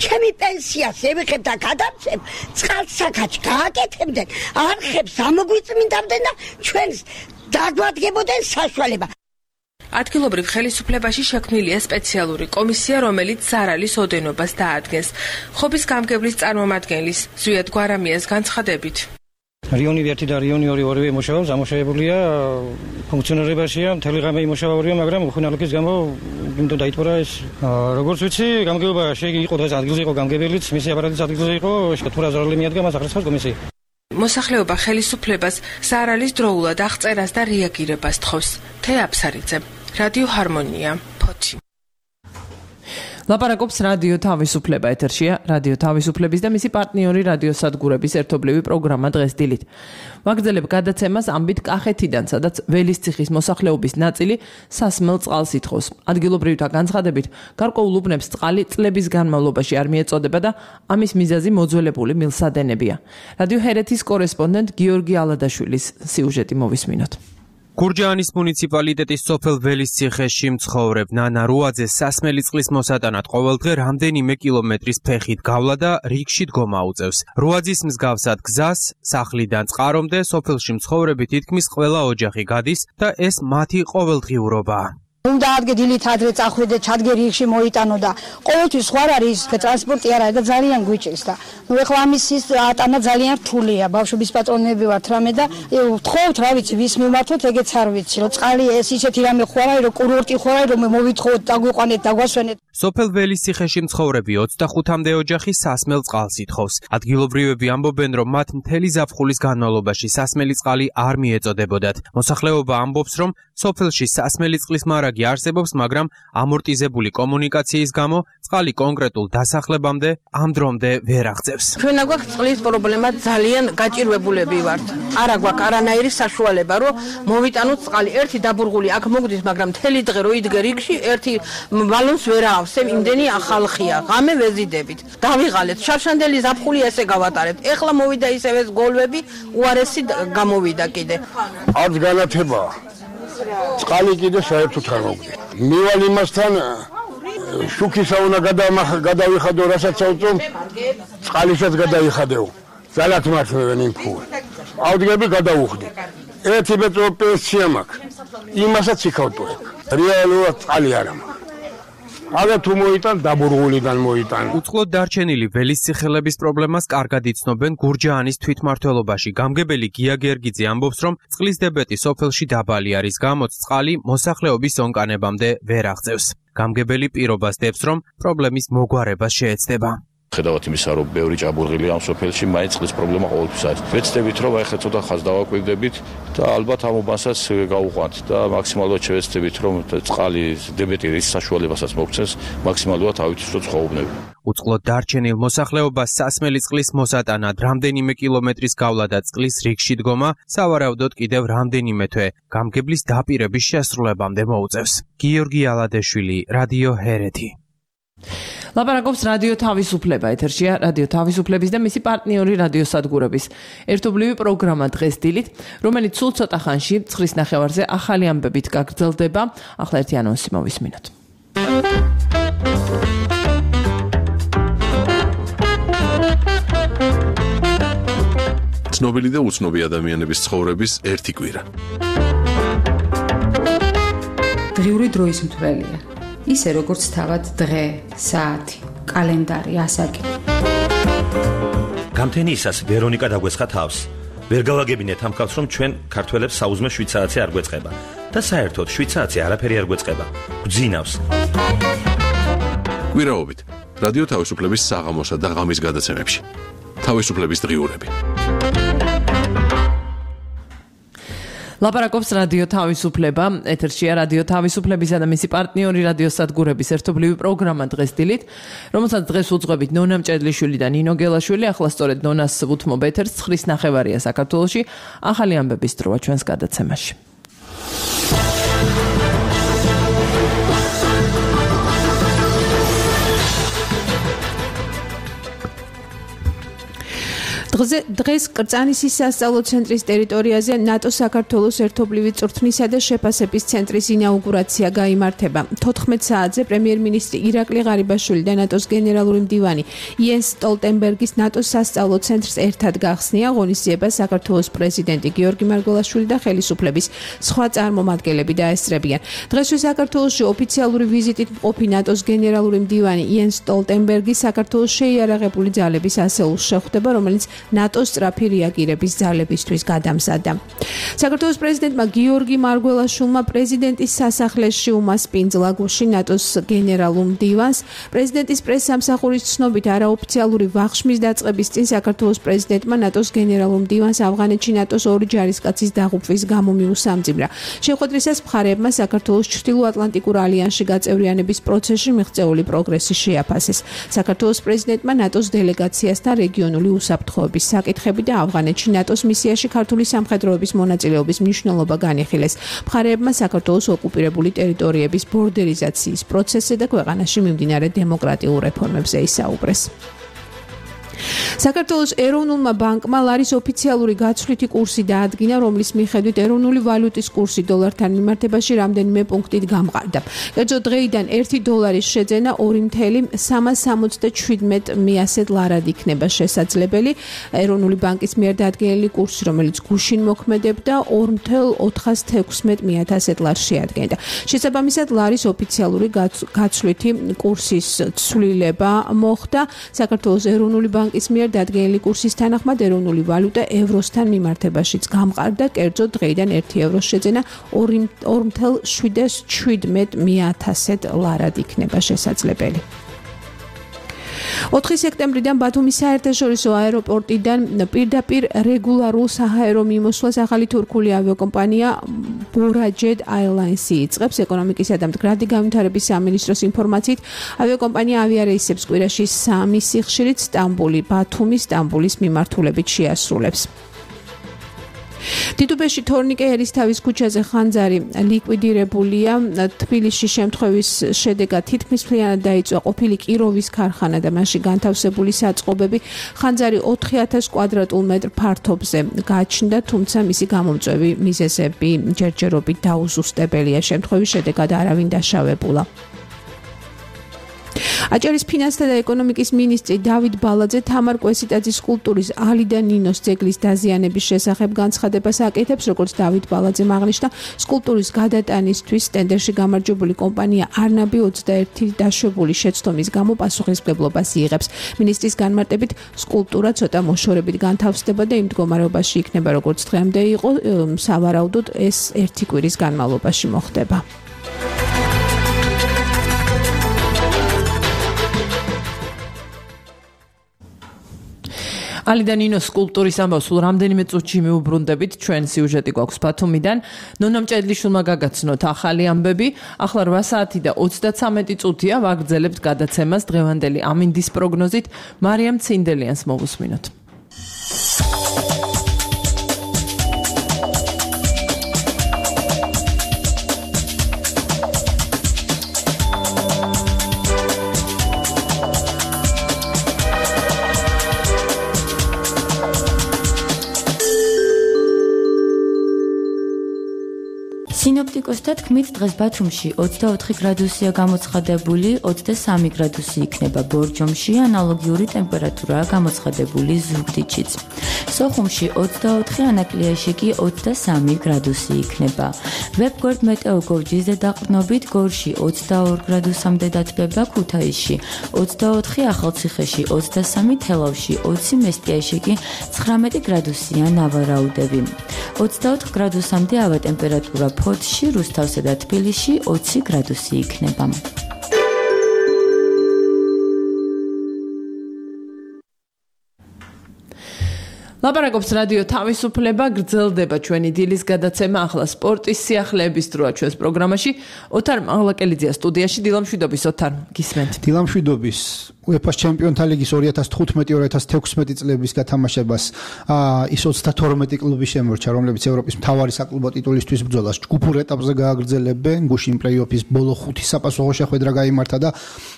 ჩემი პენსიას ევიხებ და გადავცემ, წყალსაკაჩ გააკეთებდნენ, არხებს ამოგვიწმინდავდნენ და ჩვენს დაგვადგებოდნენ საშუალება. ადგილობრივ ხელისუფლებაში შექმნილია სპეციალური კომისია, რომელიც ზარალის ოდენობას დაადგენს. ხობის გამგებლის წარმომადგენლის ზვიად გვარამიას განცხადებით. რიონი ერთი და რიონი ორი ორივე იმუშავებს, ამუშავებულია, ფუნქციონირებაშია, მთელი ღამე იმუშავებია, მაგრამ უხუნალობის გამო იმდენ დაიტბორა ეს. როგორც ვიცი, გამგეობა შეიყო დღეს ადგილზე იყო გამგებელიც, მისი აპარატიც ადგილზე იყო, თუ რა ზარალი მიადგა მას ახერხებს კომისია. მოსახლეობა ხელისუფლებას ზარალის დროულად აღწერას და რეაგირებას თხოვს. թե აფსარიძე, რადიო ჰარმონია, ფოთი. ლაპარაკობს რადიო თავისუფლება ეთერშია, რადიო თავისუფლების და მისი პარტნიორი რადიო სადგურების ერთობლივი პროგრამა დღეს დილით. ვაგრძელებ გადაცემას ამბით კახეთიდან, სადაც ველისციხის მოსახლეობის ნაწილი სასმელ წყალს ითხოვს. ადგილობრივთა განცხადებით, გარკვეულ უბნებს წყალი წლების განმავლობაში არ მიეწოდება და ამის მიზეზი მოძველებული მილსადენებია. რადიო ჰერეთის კორესპონდენტ გიორგი ალადაშვილის სიუჟეტი მოვისმინოთ. გურჯაანის მუნიციპალიტეტის სოფელ ველისციხეში მცხოვრებ ნანა რუაძე სასმელი წყლის მოსატანად ყოველდღე რამდენიმე კილომეტრის ფეხით გავლა და რიგში დგომა უწევს. რუაძის მსგავსად გზას სახლიდან წყარომდე სოფელში მცხოვრები თითქმის ყველა ოჯახი გადის და ეს მათი ყოველდღიურობაა. უნდა ადგე დილით ადრე წახვიდე, ჩადგე რიგში მოიტანო და ყოველთვის ხوار არის ტრანსპორტი არ არის და ძალიან გვიჭირს და ნუ ეხლა ამის ის ატანა ძალიან რთულია. ბავშვების პატრონები ვართ რამე და ვთხოვთ, რა ვიცი, ვის მიმართოთ, ეგეც არ ვიცი, რომ წყალი ეს ისეთი რამე ხوار არის, რომ კურორტი ხوار არის, რომ მოვითხოვოთ, დაგვიყვანეთ, დაგვასვენეთ. სოფელ ველისციხეში მცხოვრები ოცდახუთამდე ოჯახი სასმელ წყალს ითხოვს. ადგილობრივები ამბობენ, რომ მათ მთელი ზაფხულის განმავლობაში სასმელი წყალი არ მიეწოდებოდათ. მოსახლეობა ამბობს, რომ სოფელში სასმელი წყლის მარაგი არსებობს, მაგრამ ამორტიზებული კომუნიკაციის გამო წყალი კონკრეტულ დასახლებამდე ამ დრომდე ვერ აღწევს. ჩვენ აგვაქვს წყლის პრობლემა, ძალიან გაჭირვებულები ვართ. არ აგვაქვს არანაირი საშუალება, რომ მოვიტანოთ წყალი. ერთი დაბურღული აქ მოგდის, მაგრამ მთელი დღე რო იდგე რიგში, ერთი ბალონს ვერ აავსებ, იმდენი ახალხია. ღამე ვეზიდებით. დავიღალეთ. შავშანდელი ზაფხული ესე გავატარეთ. ეხლა მოვიდა ისევ ეს გოლვები, უარესი გამოვიდა კიდე. არც განათებაა. წყალი კიდე საერთოდ არ მოგდის. მივალ იმასთან შუქისა უნდა გადავიხადო, რასაც ავწევ, წყალისაც გადავიხადეო. ძალათ მართლევენ იმ ფულ. ავდგები გადავუხდი. ერთი მეტრო პენსია მაქვს. იმასაც იქავტოებ. რეალურად წყალი არ მაქვს. აგა თუ მოიტან დაბურღულიდან მოიტან. უწყლოდ დარჩენილი ველისციხელების პრობლემას კარგად იცნობენ გურჯაანის თვითმმართველობაში. გამგებელი გია გერგიძე ამბობს, რომ წყლის დებეტი სოფელში დაბალი არის, გამოც წყალი მოსახლეობის ონკანებამდე ვერ აღწევს. გამგებელი პირობას დებს, რომ პრობლემის მოგვარება შეეცდება. ხედავთ იმისა, რომ ბევრი ჭაბურღილია ამ სოფელში, მაინც წყლის პრობლემა ყოველთვის არის. ვეცდებით, რომ აი ხა ცოტა ხაზს დავაკვირდებით და ალბათ ამ უბანსაც გავუყვანთ და მაქსიმალურად შევეცდებით, რომ წყალი დებეტი რის საშუალებასაც მოგცეს, მაქსიმალურად ავითვისოთ ხოვნები. უწყლოდ დარჩენილ მოსახლეობას სასმელი წყლის მოსატანად რამდენიმე კილომეტრის გავლა და წყლის რიგში დგომა სავარაუდოდ კიდევ რამდენიმე თვე გამგებლის დაპირების შესრულებამდე მოუწევს. გიორგი ალადეშვილი, რადიო ჰერეთი. ლაპარაკობს რადიო თავისუფლება ეთერშია, რადიო თავისუფლების და მისი პარტნიორი რადიო სადგურების ერთობლივი პროგრამა დღეს დილით, რომელიც სულ ცოტა ხანში ცხრის ნახევარზე ახალი ამბებით გაგრძელდება. ახლა ერთი ანონსი მოვისმინოთ. ცნობილი და უცნობი ადამიანების ცხოვრების ერთი კვირა. დღიური დროის მთვრელია. ისე როგორც თავად დღე, საათი, კალენდარი, ასაკი. გამთენიისას ვერონიკა დაგვესხა თავს. ვერ გავაგებინეთ ამ ხალხს, რომ ჩვენ ქართველებს საუზმე შვიცააცი არ გვეწყება და საერთოდ შვიცააცი არაფერი არ გვეწყება. გვძინავს. კვირაობით რადიო თავისუფლების საღამოსა და ღამის გადაცემებში. თავისუფლების დღიურები. ლაპარაკობს რადიო თავისუფლება, ეთერშია რადიო თავისუფლებისა და მისი პარტნიორი რადიო სადგურების ერთობლივი პროგრამა დღეს დილით, რომელსაც დღეს უძღვებით ნონა მჭედლიშვილი და ნინო გელაშვილი, ახლა სწორედ ნონას ვუთმობ ეთერს, ცხრის ნახევარია საქართველოში, ახალი ამბების დროა ჩვენს გადაცემაში. დღეს კრწანისის სასწავლო ცენტრის ტერიტორიაზე ნატო საქართველოს ერთობლივი წვრთნისა და შეფასების ცენტრის ინაუგურაცია გაიმართება. თოთხმეტ საათზე პრემიერ-მინისტრი ირაკლი ღარიბაშვილი და ნატოს გენერალური მდივანი იენს სტოლტენბერგის ნატოს სასწავლო ცენტრს ერთად გახსნია ღონისძიებას საქართველოს პრეზიდენტი გიორგი მარგველაშვილი და ხელისუფლების სხვა წარმომადგენლები დაესწრებიან. დღესვე საქართველოში ოფიციალური ვიზიტით მყოფი ნატოს გენერალური მდივანი იენს სტოლტენბერგი საქართველოს შეიარაღებული ძალების ასეულს შეხვდება, რომელიც ნატოს სწრაფი რეაგირების ძალებისთვის გადამზადდა. საქართველოს პრეზიდენტმა გიორგი მარგველაშვილმა პრეზიდენტის სასახლეში უმასპინძლა გუში ნატოს გენერალურ მდივანს. პრეზიდენტის პრესსამსახურის ცნობით არაოფიციალური ვახშმის დაწყების წინ საქართველოს პრეზიდენტმა ნატოს გენერალურ მდივანს ავღანეთში ნატოს ორი ჯარისკაცის დაღუპვის გამო მიუსამძიმრა. შეხვედრისას მხარეებმა საქართველოს ჩრდილოატლანტიკურ ალიანსში გაწევრიანების პროცესში მიღწეული პროგრესი შეაფასეს. საქართველოს პრეზიდენტმა ნატოს დელეგაციასთან რეგიონული უსაფრთხოების საკითხები და ავღანეთში ნატოს მისიაში ქართული სამხედროების მონაწილეობის მნიშვნელობა განიხილეს. მხარეებმა საქართველოს ოკუპირებული ტერიტორიების ბორდერიზაციის პროცესზე და ქვეყანაში მიმდინარე დემოკრატიულ რეფორმებზე ისაუბრეს. საქართველოს ეროვნულმა ბანკმა ლარის ოფიციალური გაცვლითი კურსი დაადგინა, რომლის მიხედვით ეროვნული ვალუტის კურსი დოლართან მიმართებაში რამდენიმე პუნქტით გამყარდა. კერძო დღეიდან ერთი დოლარის შეძენა ორი ნული სამას სამოცდაშვიდმეტ მიასედ ლარად იქნება შესაძლებელი. ეროვნული ბანკის მიერ დადგენილი კურსი, რომელიც გუშინ მოქმედებდა, ორი ნული ოთხას თექვსმეტ მიათასად ლარს შეადგენდა. შესაბამისად, ლარის ოფიციალური გაცვლითი კურსის ცვლილება მოხდა. საქართველოს ეროვნული ბანკის მიერ დადგენილი კურსის თანახმად ეროვნული ვალუტა ევროსთან მიმართებაშიც გამყარდა, კერძო დღეიდან ერთი ევროს შეძენა ორი ნული შვიდმეტ მიათასად ლარად იქნება შესაძლებელი. ოთხი სექტემბრიდან ბათუმის საერთაშორისო აეროპორტიდან პირდაპირ რეგულარულ საჰაერო მიმოსვლას ახალი თურქული ავიაკომპანია Burajet Airlines იწყებს. ეკონომიკისა და მდგრადი განვითარების სამინისტროს ინფორმაციით, ავიაკომპანია ავიარეისებს კვირაში სამი სიხშირით სტამბული, ბათუმი, სტამბულის მიმართულებით შეასრულებს. თითუბეში თორნიკე ერისთავის ქუჩაზე ხანძარი ლიკვიდირებულია. თბილისში შემთხვევის შედეგად თითქმის მთლიანად დაიწვა ყოფილი კიროვის ქარხანა და მასში განთავსებული საწყობები. ხანძარი ოთხი ათას კვადრატულ მეტრ ფართობზე გაჩნდა, თუმცა მისი გამომწვევი მიზეზები ჯერჯერობით დაუზუსტებელია. შემთხვევის შედეგად არავინ დაშავებულა. აჭარის ფინანსთა და ეკონომიკის მინისტრი დავით ბალაძე თამარ კვესიტაძის სკულპტურის ალი და ნინოს ძეგლის დაზიანების შესახებ განცხადებას აკეთებს. როგორც დავით ბალაძემ აღნიშნა, სკულპტურის გადატანისთვის ტენდერში გამარჯვებული კომპანია არნაბი ოცდაერთი დაშვებული შეცდომის გამო პასუხისმგებლობას იღებს. მინისტრის განმარტებით, სკულპტურა ცოტა მოშორებით განთავსდება და იმ მდგომარეობაში იქნება, როგორც დღემდე იყო, სავარაუდოდ ეს ერთი კვირის განმავლობაში მოხდება. ალი და ნინოს სკულპტურის ამბავს სულ რამდენიმე წუთში მიუბრუნდებით. ჩვენ სიუჟეტი გვაქვს ბათუმიდან. ნონა მჭედლიშვილმა გაგაცნოთ ახალი ამბები. ახლა რვა საათი და ოცდაცამეტი წუთია. ვაგრძელებთ გადაცემას დღევანდელი ამინდის პროგნოზით. მარიამ ცინდელიანს მოვუსმინოთ. სინოპტიკოსთა თქმით, დღეს ბათუმში ოცდაოთხი გრადუსია გამოცხადებული, ოცდასამი გრადუსი იქნება ბორჯომში, ანალოგიური ტემპერატურაა გამოცხადებული ზუგდიდშიც. სოხუმში ოცდაოთხი, ანაკლიაში კი ოცდასამი გრადუსი იქნება. ვებგვერდ მეტეოგორჯის ზედაყრდნობით გორში ოცდაორი გრადუსამდე დათბება, ქუთაისში ოცდაოთხი, ახალციხეში ოცდასამი, თელავში ოცი, მესტიაში კი ცხრამეტი გრადუსია ნავარაუდები. ოცდაოთხ გრადუსამდე ავა ტემპერატურა ფოთში, რუსთავსა და თბილისში, თბილისში ოცი გრადუსი იქნება. ლაპარაკობს რადიო თავისუფლება, გრძელდება ჩვენი დილის გადაცემა, ახლა სპორტის სიახლეების დროა ჩვენს პროგრამაში. ოთარ მაღლაკელიძეა სტუდიაში. დილამშვიდობის ოთარ, გისმენთ. დილამშვიდობის. UEFA-ს ჩემპიონთა ლიგის ორი ათას თხუთმეტი ორი ათას თექვსმეტი წლების გათამაშებას ის ოცდათორმეტი კლუბი შემორჩა, რომლებიც ევროპის მთავარი საკლუბო ტიტულისთვის ბრძოლას ჯგუფურ ეტაპზე გააგრძელებენ. გუშინ პლეი-ოფის ბოლო ხუთი საპასუხო შეხვედრა გაიმართა და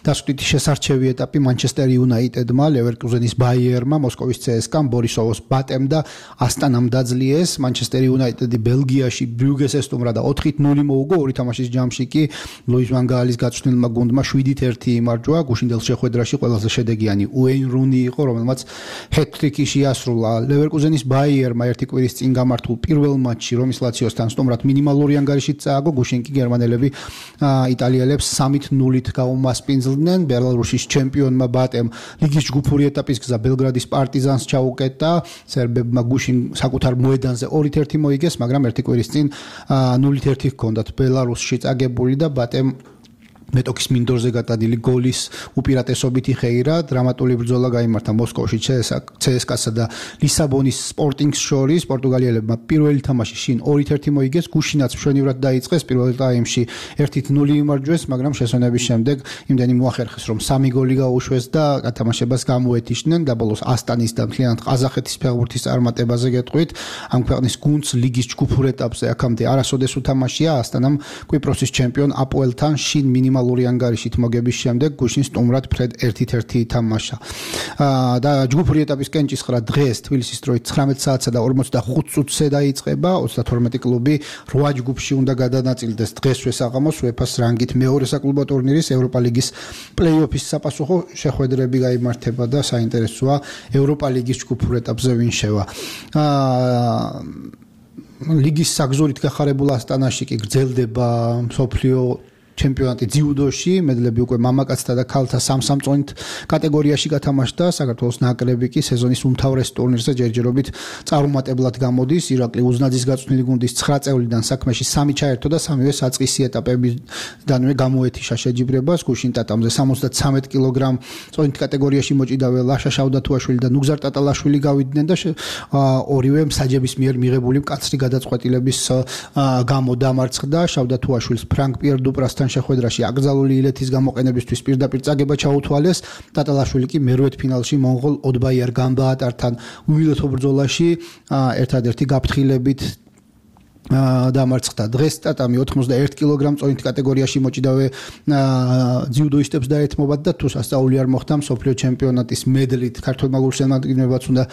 დასკვნითი შესარჩევი ეტაპი მანჩესტერ იუნაიტედმა, ლევერკუზენის ბაიერმა, მოსკოვის ცსკამ, ბორისოვოს ბატემ და ასტანამ დაძლიეს. მანჩესტერ იუნაიტედი ბელგიაში ბრიუგეს ესტუმრა და ოთხით ნული მოუგო. ორი თამაშის ჯამში კი ლუის ვან გაალის გაწვრთნილმა გუნდმა შვიდით ერთი იმარჯვა. გუშინდელ შეხვედრაში ყველაზე შედეგიანი უეინ რუნი იყო, რომელმაც ჰეტ-ტრიკი შეასრულა. ლევერკუზენის ბაიერმა ერთი კვირის წინ გამართულ პირველ მატჩში რომის ლაციოსთან სტუმრად მინიმალური ანგარიშით წააგო. გუშინ კი გერმანელები იტალიელებს სამით ნულით გაუმასპინძლდნენ. ბელარუსის ჩემპიონმა ბატემ ლიგის ჯგუფური ეტაპის გზა ბელგრადის პარტიზანს ჩაუკეტა. სერბებმა გუშინ საკუთარ მოედანზე ორით ერთი მოიგეს, მაგრამ ერთი კვირის წინ ნულით ერთი ჰქონდათ ბელარუსში წაგებული და ბატემ მეტოქის მინდორზე გადადილი გოლის უპირატესობით იხეირა. დრამატული ბრძოლა გაიმართა მოსკოვში ცსკასა და ლისაბონის სპორტინგს შორის. პორტუგალიელებმა პირველი თამაში შინ ორით ერთი მოიგეს, გუშინაც მშვენივრად დაიწყეს. პირველ ტაიმში ერთით ნული იმარჯვეს, მაგრამ შესვენების შემდეგ იმდენი მოახერხეს, რომ სამი გოლი გაუშვეს და გათამაშებას გამოეთიშნენ. და ბოლოს ასტანის და მთლიანად ყაზახეთის ფეხბურთის წარმატებაზე გეტყვით. ამ ქვეყნის გუნდს ლიგის ჯგუფურ ეტაპზე აქამდე არასოდეს უთამაშია. ასტანამ კვიპროსის ჩემპიონ აპოელთან შინ მინიმალური ანგარიშით მოგების შემდეგ გუშინ სტუმრად ფრედ ერთით ერთი ითამაშა. და ჯგუფური ეტაპის კენჭისყრა დღეს თბილისის დროით ცხრამეტ საათსა და ორმოცდახუთ წუთზე დაიწყება. ოცდათორმეტი კლუბი რვა ჯგუფში უნდა გადანაწილდეს დღესვე საღამოს UEFA-ს რანგით მეორე საკლუბო ტურნირის ევროპა ლიგის პლეი-ოფის საპასუხო შეხვედრები გაიმართება და საინტერესოა ევროპა ლიგის ჯგუფურ ეტაპზე ვინ შევა. ლიგის საგზურით გახარებულ ასტანაში კი გრძელდება მსოფლიო ჩემპიონატი ძიუდოში. მედლები უკვე მამაკაცთა და ქალთა სამ-სამ წონით კატეგორიაში გათამაშდა. საქართველოს ნაკრები კი სეზონის უმთავრეს ტურნირზე ჯერჯერობით წარუმატებლად გამოდის. ირაკლი უზნაძის გაწვრთნილი გუნდის ცხრა წევრიდან საქმეში სამი ჩაერთო და სამივე საწყისი ეტაპებიდანვე გამოეთიშა შეჯიბრებას. გუშინ ტატამზე სამოცდათრამეტ კილოგრამ წონით კატეგორიაში მოჭიდავე ლაშა შავდათუაშვილი და ნუგზარ ტატალაშვილი გავიდნენ და ორივე მსაჯების მიერ მიღებული მკაცრი გადაწყვეტილების გამო დამარცხდა. შავდათუაშვილს ფრანკ პიერ დუპრასთან შეხვედრაში აკრძალული ილეთის გამოყენებისთვის პირდაპირ წაგება ჩაუთვალეს. ტატალაშვილი კი მერვედ ფინალში მონღოლ ოდბაიარ გამბაატართან უილეთო ბრძოლაში ერთადერთი გაფრთხილებით დამარცხდა. დღეს ტატამი ოთხმოცდაერთი კილოგრამ წონით კატეგორიაში მოჭიდავე ძიუდოისტებს დაეთმობათ და თუ სასწაული არ მოხდა მსოფლიო ჩემპიონატის მედლით ქართულმა გულშემატკივრებაც უნდა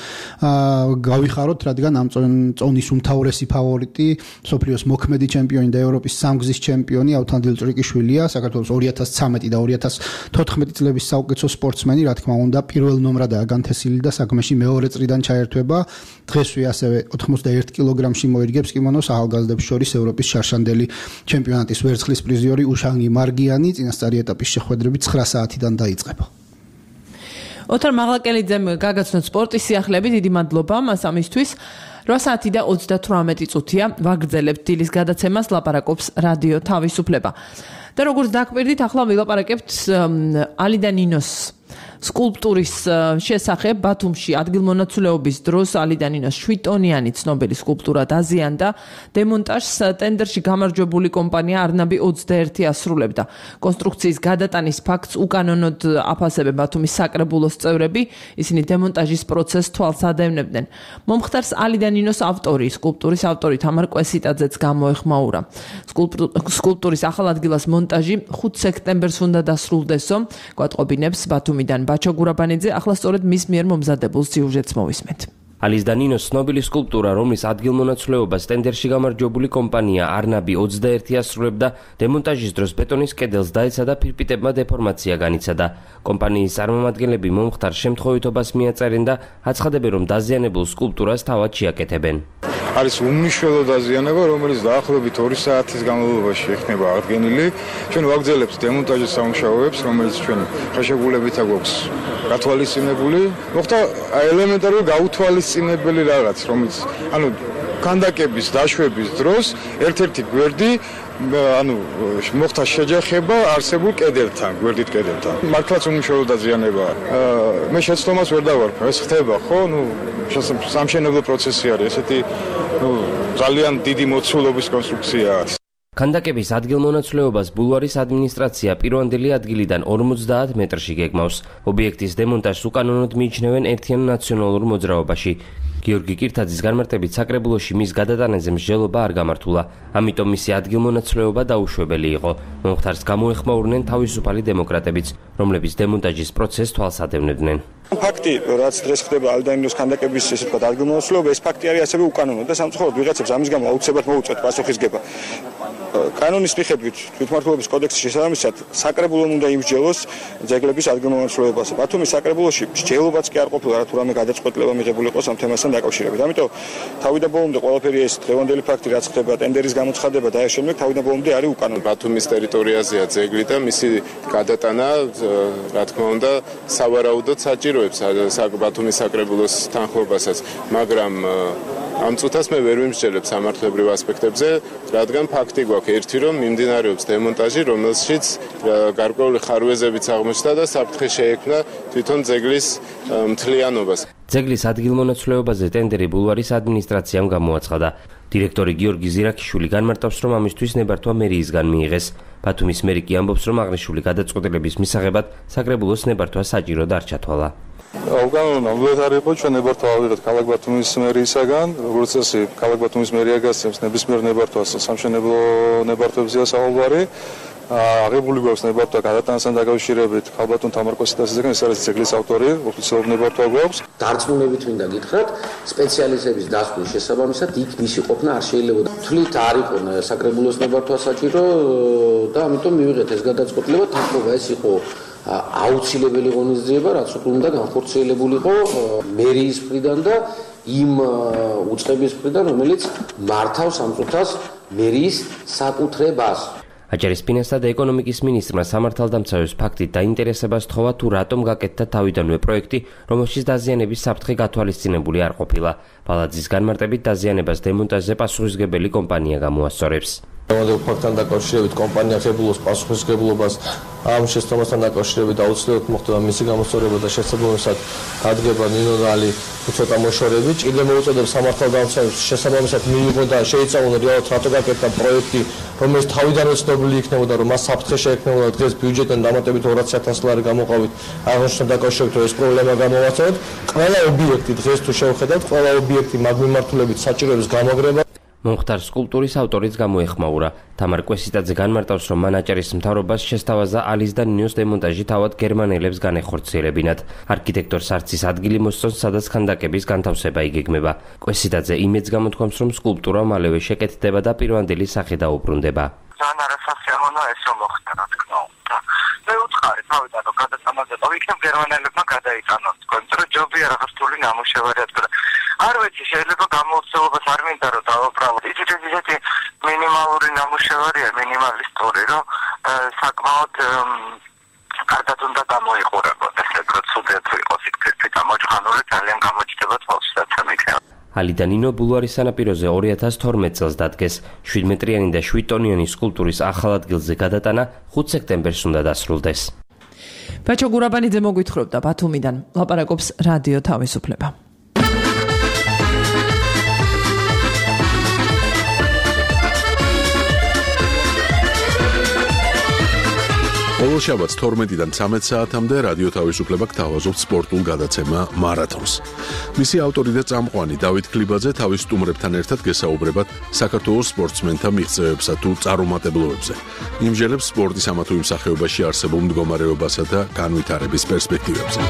გავიხაროთ, რადგან ამ წონის უმთავრესი ფავორიტი მსოფლიოს მოქმედი ჩემპიონი და ევროპის სამგზის ჩემპიონი ავთან დილჭრიკიშვილია. საქართველოს ორი ათას ცხრამეტი და ორი ათას თოთხმეტი წლების საუკეთესო სპორტსმენი, რა თქმა უნდა, პირველ ნომრადაა განთესილი და საქმეში მეორე წრიდან ჩაერთვება. დღესვე ასევე ოთხმოცდაერთი კილოგრამში მოირგებს კიმონოს ახალგაზრდებს შორის ევროპის შარშანდელი ჩემპიონატის ვერცხლის პრიზიორი უშანგი მარგიანი. წინასწარი ეტაპის შეხვედრები ცხრა საათიდან დაიწყება. ოთარ მაღლაკელიძემ გაგაცნოთ სპორტის სიახლეები. დიდი მადლობა მას ამისთვის. რვა საათი და ოცდათვრამეტი წუთია. ვაგრძელებთ დილის გადაცემას, ლაპარაკობს რადიო თავისუფლება. და როგორც დაგვირდით, ახლა ვილაპარაკებთ ალიდა ნინოს სკულპტურის შესახებ. ბათუმში ადგილმონაცვლეობის დროს ალიდა ნინოს შვიდტონიანი ცნობილი სკულპტურა დაზიანდა. დემონტაჟს ტენდერში გამარჯვებული კომპანია არნაბი ოცდაერთი ასრულებდა. კონსტრუქციის გადატანის ფაქტს უკანონოდ აფასებენ ბათუმის საკრებულოს წევრები. ისინი დემონტაჟის პროცესს თვალს ადევნებდნენ. მომხდარს ალიდა ნინოს ავტორი, სკულპტურის ავტორი თამარ კვესიტაძეც გამოეხმაურა. სკულპტურის ახალ ადგილას მონტაჟი ხუთ სექტემბერს უნდა დასრულდესო. გვატყობინებს ბათუმიდან ბაჩო გურაბანიძე. ახლა სწორედ მის მიერ მომზადებულ სიუჟეტს მოვისმენთ. ალიდა ნინოს ცნობილი სკულპტურა, რომლის ადგილმონაცვლეობას ტენდერში გამარჯვებული კომპანია არნაბი ოცდაერთი ასრულებდა, დემონტაჟის დროს ბეტონის კედელს დაეცა და ფირფიტებმა დეფორმაცია განიცადა. კომპანიის წარმომადგენლები მომხდარ შემთხვევითობას მიაწერენ და აცხადებენ, რომ დაზიანებულ სკულპტურას თავად შეაკეთებენ. არის უმნიშვნელო დაზიანება, რომელიც დაახლოებით ორი საათის განმავლობაში იქნება აღდგენილი. ჩვენ ვაგრძელებთ დემონტაჟის სამუშაოებს, რომელიც ჩვენ ხელშეკრულებით აქვს გათვალისწინებული. მოხდა ელემენტარული გაუთვალისწინებელი რაღაც, რომელიც ანუ ქანდაკების დაშვების დროს ერთ-ერთი გვერდი ანუ მოხდა შეჯახება არსებულ კედელთან, გვერდით კედელთან. მართლაც უმნიშვნელო დაზიანება. მე შეცდომას ვერ დავარქვი, ეს ხდება, ხო? ნუ სამშენებლო პროცესი არის, ესეთი ნუ ძალიან დიდი მოცულობის კონსტრუქციაა. ქანდაკების ადგილმონაცვლეობას ბულვარის ადმინისტრაცია პირვანდელი ადგილიდან ორმოცდაათ მეტრში გეგმავს. ობიექტის დემონტაჟს უკანონოდ მიიჩნევენ ერთიან ნაციონალურ მოძრაობაში. გიორგი კირთაძის განმარტებით საკრებულოში მის გადატანაზე მსჯელობა არ გამართულა, ამიტომ მისი ადგილმონაცვლეობა დაუშვებელი იყო. მომხდარს გამოეხმაურნენ თავისუფალი დემოკრატებიც, რომლებიც დემონტაჟის პროცესს თვალს ადევნებდნენ. ფაქტი, რაც დღეს ხდება ალდაინოს ქანდაკების ესე ვთქვათ ადგილმონაცვლეობა, ეს ფაქტი არის ასევე უკანონო და სამწუხაროდ ვიღაცებს ამის გამო აუცილებლად მოუწევთ პასუხისგება. კანონის მიხედვით თვითმმართველობის კოდექსის შესაბამისად საკრებულომ უნდა იმსჯელოს ძეგლების ადგილმონაცვლეობაზე. ბათუმის საკრებულოში მსჯელობაც კი არ ყოფილა, რა თუ რამე გადაწყვეტილება მიღებული იყოს ამ თემასთან დაკავშირებით. ამიტომ თავიდან ბოლომდე ყველაფერი ეს დღევანდელი ფაქტი რაც ხდება ტენდერის გამოცხადება და ამ შემდეგ თავიდან ბოლომდე არის უკანონო. ბათუმის ტერიტორიაზეა ძეგლი და მისი გადატანა რა თქმა უნდა სავარაუდოდ საჭიროებს ბათუმის საკრებულოს თანხმობასაც, მაგრამ ამ წუთას მე ვერ ვიმსჯელებ სამართლებრივ ასპექტებზე, რადგან ფაქტი გვაქვს ერთი, რომ მიმდინარეობს დემონტაჟი, რომელშიც გარკვეული ხარვეზებიც აღმოჩნდა და საფრთხე შეექმნა თვითონ ძეგლის მთლიანობას. ძეგლის ადგილმონაცვლეობაზე ტენდერი ბულვარის ადმინისტრაციამ გამოაცხადა. დირექტორი გიორგი ზირაქიშვილი განმარტავს, რომ ამისთვის ნებართვა მერიისგან მიიღეს. ბათუმის მერი კი ამბობს, რომ აღნიშნული გადაწყვეტილების მისაღებად საკრებულოს ნებართვა საჭიროდ არ ჩათვალა. უკანონო ნამდვილად იყო ჩვენ ნებართვა ავიღეთ ქალაქ ბათუმის მერიისაგან, როგორც წესი, ქალაქ ბათუმის მერია გასცემს ნებისმიერ ნებართვას სამშენებლო ნებართვებზეა საუბარი. აღებული გვაქვს ნებართვა გადატანასთან დაკავშირებით ქალბატონ თამარ კვესიტასისგან, ეს არის ძეგლის ავტორი, ოფიციალური ნებართვა გვაქვს. დარწმუნებით მინდა გითხრათ, სპეციალისტების დასკვნის შესაბამისად იქ მისი ყოფნა არ შეიძლება. თვლით არ იყო საკრებულოს ნებართვა საჭირო და ამიტომ მივიღეთ ეს გადაწყვეტილება, თანხმობა ეს იყო აუცილებელი ღონისძიება, რაც უნდა განხორციელებულიყო მერიის მხრიდან და იმ უწყების მხრიდან, რომელიც მართავს ამ წუთას მერიის საკუთრებას. აჭარისპინასა და ეკონომიკის მინისტრმა სამართალდამცავებს ფაქტით დაინტერესება სთხოვა, თუ რატომ გაკეთდა თავიდანვე პროექტი, რომელშიც დაზიანების საფრთხე გათვალისწინებული არ ყოფილა. ბალაძის განმარტებით დაზიანებას დემონტაჟზე პასუხისმგებელი კომპანია გამოასწორებს. ამავე ფაქტთან დაკავშირებით კომპანია ხებულობს პასუხისმგებლობას ამ შეცდომასთან დაკავშირებით აუცილებლად მოხდება მისი გამოსწორება და შესაბამისად ადგება ნინორალი ცოტა მოშორებით. ჭირდება მოუწოდებს სამართალდამცავებს შესაბამისად მიიღო და შეიწამონ რეალურად რატო გაკეთდა პროექტი, რომელიც თავიდანვე ცნობილი იქნებოდა, რომ მას საფრთხე შეექმნებოდა დღეს ბიუჯეტიდან დამატებით ორასი ათასი ლარი გამოყავით. აღნიშნულ დაკავშირებით ეს პრობლემა გამოვაცავთ. ყველა ობიექტი დღეს თუ შევხედავთ, ყველა ობიექტი მაგ მიმართულებით საჭიროებს გამაგრება. მომხდარ სკულპტურის ავტორიც გამოეხმაურა. თამარ კვესიტაძე განმარტავს, რომ მან აჭარის მთავრობას შესთავაზა ალის და ნინოს დემონტაჟი თავად გერმანელებს განეხორციელებინათ. არქიტექტორს არც ის ადგილი მოსწონს, სადაც ქანდაკების განთავსება იგეგმება. კვესიტაძე იმედს გამოთქვამს, რომ სკულპტურა მალევე შეკეთდება და პირვანდელი სახე დაუბრუნდება. ძალიან არასასიამოვნოა ეს რომ მოხდა, რა თქმა უნდა. მე უთხარი თავიდან რომ გადაწამაზე დავიქნებ გერმანელებმა გადაიტანონ, იმიტომ რომ ჯობია რაღაც რთული ნამუშევარი ადგილ. არ ვიცი, შეიძლება გამოუცემობას არ მინდა რომ დავაბრალოთ. იცით ეს ისეთი მინიმალური ნამუშევარია, მინიმალისტური, რომ საკმაოდ კარგად უნდა გამოიყურებოდეს, როგორც უდეთ იყოს იქ ფერფი გამოჯღანული, ძალიან გამოჩნდება თვალშიაც ამიქნება. ალი და ნინო ბულვარის სანაპიროზე ორი ათას თორმეტ წელს დადგეს. შვიდ მეტრიანი და შვიდ ტონიანი სკულპტურის ახალ ადგილზე გადატანა ხუთ სექტემბერს უნდა დასრულდეს. ბაჩო გურაბანიძე მოგვითხრობდა ბათუმიდან. ლაპარაკობს რადიო თავისუფლება. ყოველ შაბათს თორმეტიდან ცამეტ საათამდე რადიო თავისუფლება გთავაზობთ სპორტულ გადაცემა მარათონს. მისი ავტორი და წამყვანი დავით ქლიბაძე თავის სტუმრებთან ერთად გესაუბრებათ საქართველოს სპორტსმენთა მიღწევებსა თუ წარუმატებლობებზე. იმჟელებს სპორტის ამა თუ იმ სახეობაში არსებულ მდგომარეობასა და განვითარების პერსპექტივებზე.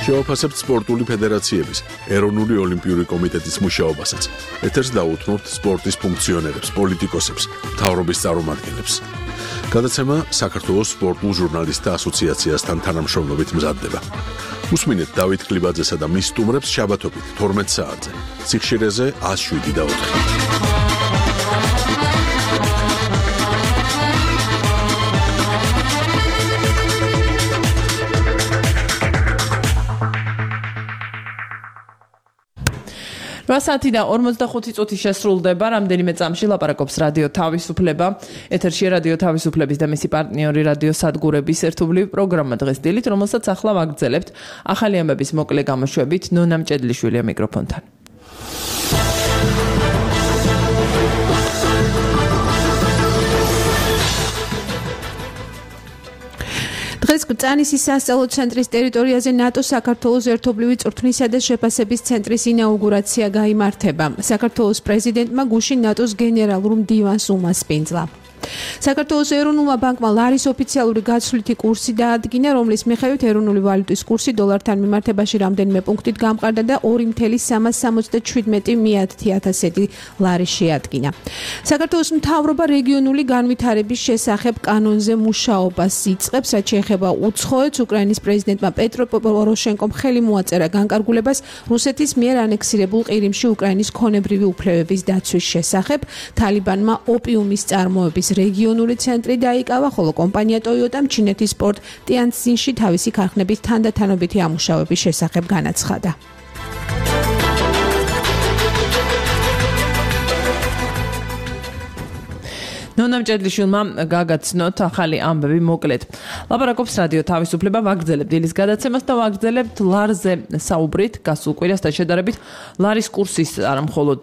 შევაფასებთ სპორტული ფედერაციების, ეროვნული ოლიმპიური კომიტეტის მუშაობასაც. ეთერს დაუთმობთ სპორტის ფუნქციონერებს, პოლიტიკოსებს, მთავრობის წარმომადგენლებს. გადაცემა საქართველოს სპორტულ ჟურნალისტთა ასოციაციასთან თანამშრომლობით მზადდება. უსმინეთ დავით ქლიბაძესა და მის სტუმრებს შაბათობით თორმეტ საათზე. სიხშირეზე ათს შვიდი და ოთხი. რვა საათი და ორმოცდახუთი წუთი შესრულდება. რამდენიმე წამში ლაპარაკობს რადიო თავისუფლება. ეთერშია რადიო თავისუფლების და მისი პარტნიორი რადიო სადგურების ერთობლივი პროგრამა დღეს დილით, რომელსაც ახლა ვაგრძელებთ. ახალი ამბების მოკლე გამოშვებით ნონა მჭედლიშვილია მიკროფონთან. დღეს გწანისის სასწავლო ცენტრის ტერიტორიაზე ნატოს საქართველოს ერთობლივი წვრთნისა და შეფასების ცენტრის ინაუგურაცია გაიმართება. საქართველოს პრეზიდენტმა გუშინ ნატოს გენერალურ მდივანს უმასპინძლა. საქართველოს ეროვნულმა ბანკმა ლარის ოფიციალური გაცვლითი კურსი დაადგინა, რომლის მიხედვით ეროვნული ვალუტის კურსი დოლართან მიმართებაში რამდენიმე პუნქტით გამყარდა და ორი ათას სამას სამოცდაშვიდმეტი მეათე ათასედი ლარი შეადგინა. საქართველოს მთავრობა რეგიონული განვითარების შესახებ კანონზე მუშაობას იწყებს, რაც შეეხება უცხოეთს. უკრაინის პრეზიდენტმა პეტრო პოროშენკომ ხელი მოაწერა განკარგულებას რუსეთის მიერ ანექსირებულ ყირიმში უკრაინის ქონებრივი უფლებების დაცვის შესახებ. თალიბანმა ოპიუმის წარმოების რეგიონული ცენტრი დაიკავა, ხოლო კომპანია Toyota ჩინეთის პორტ ტიანცინში თავისი ქარხნების თანდათანობითი ამუშავების შესახებ განაცხადა. ნონა მჭედლიშვილმა გაგაცნოთ ახალი ამბები მოკლედ. ლაპარაკობს რადიო თავისუფლება, ვაგრძელებთ დილის გადაცემას და ვაგრძელებთ ლარზე საუბრით, გასულ კვირასთან შედარებით ლარის კურსის არა მხოლოდ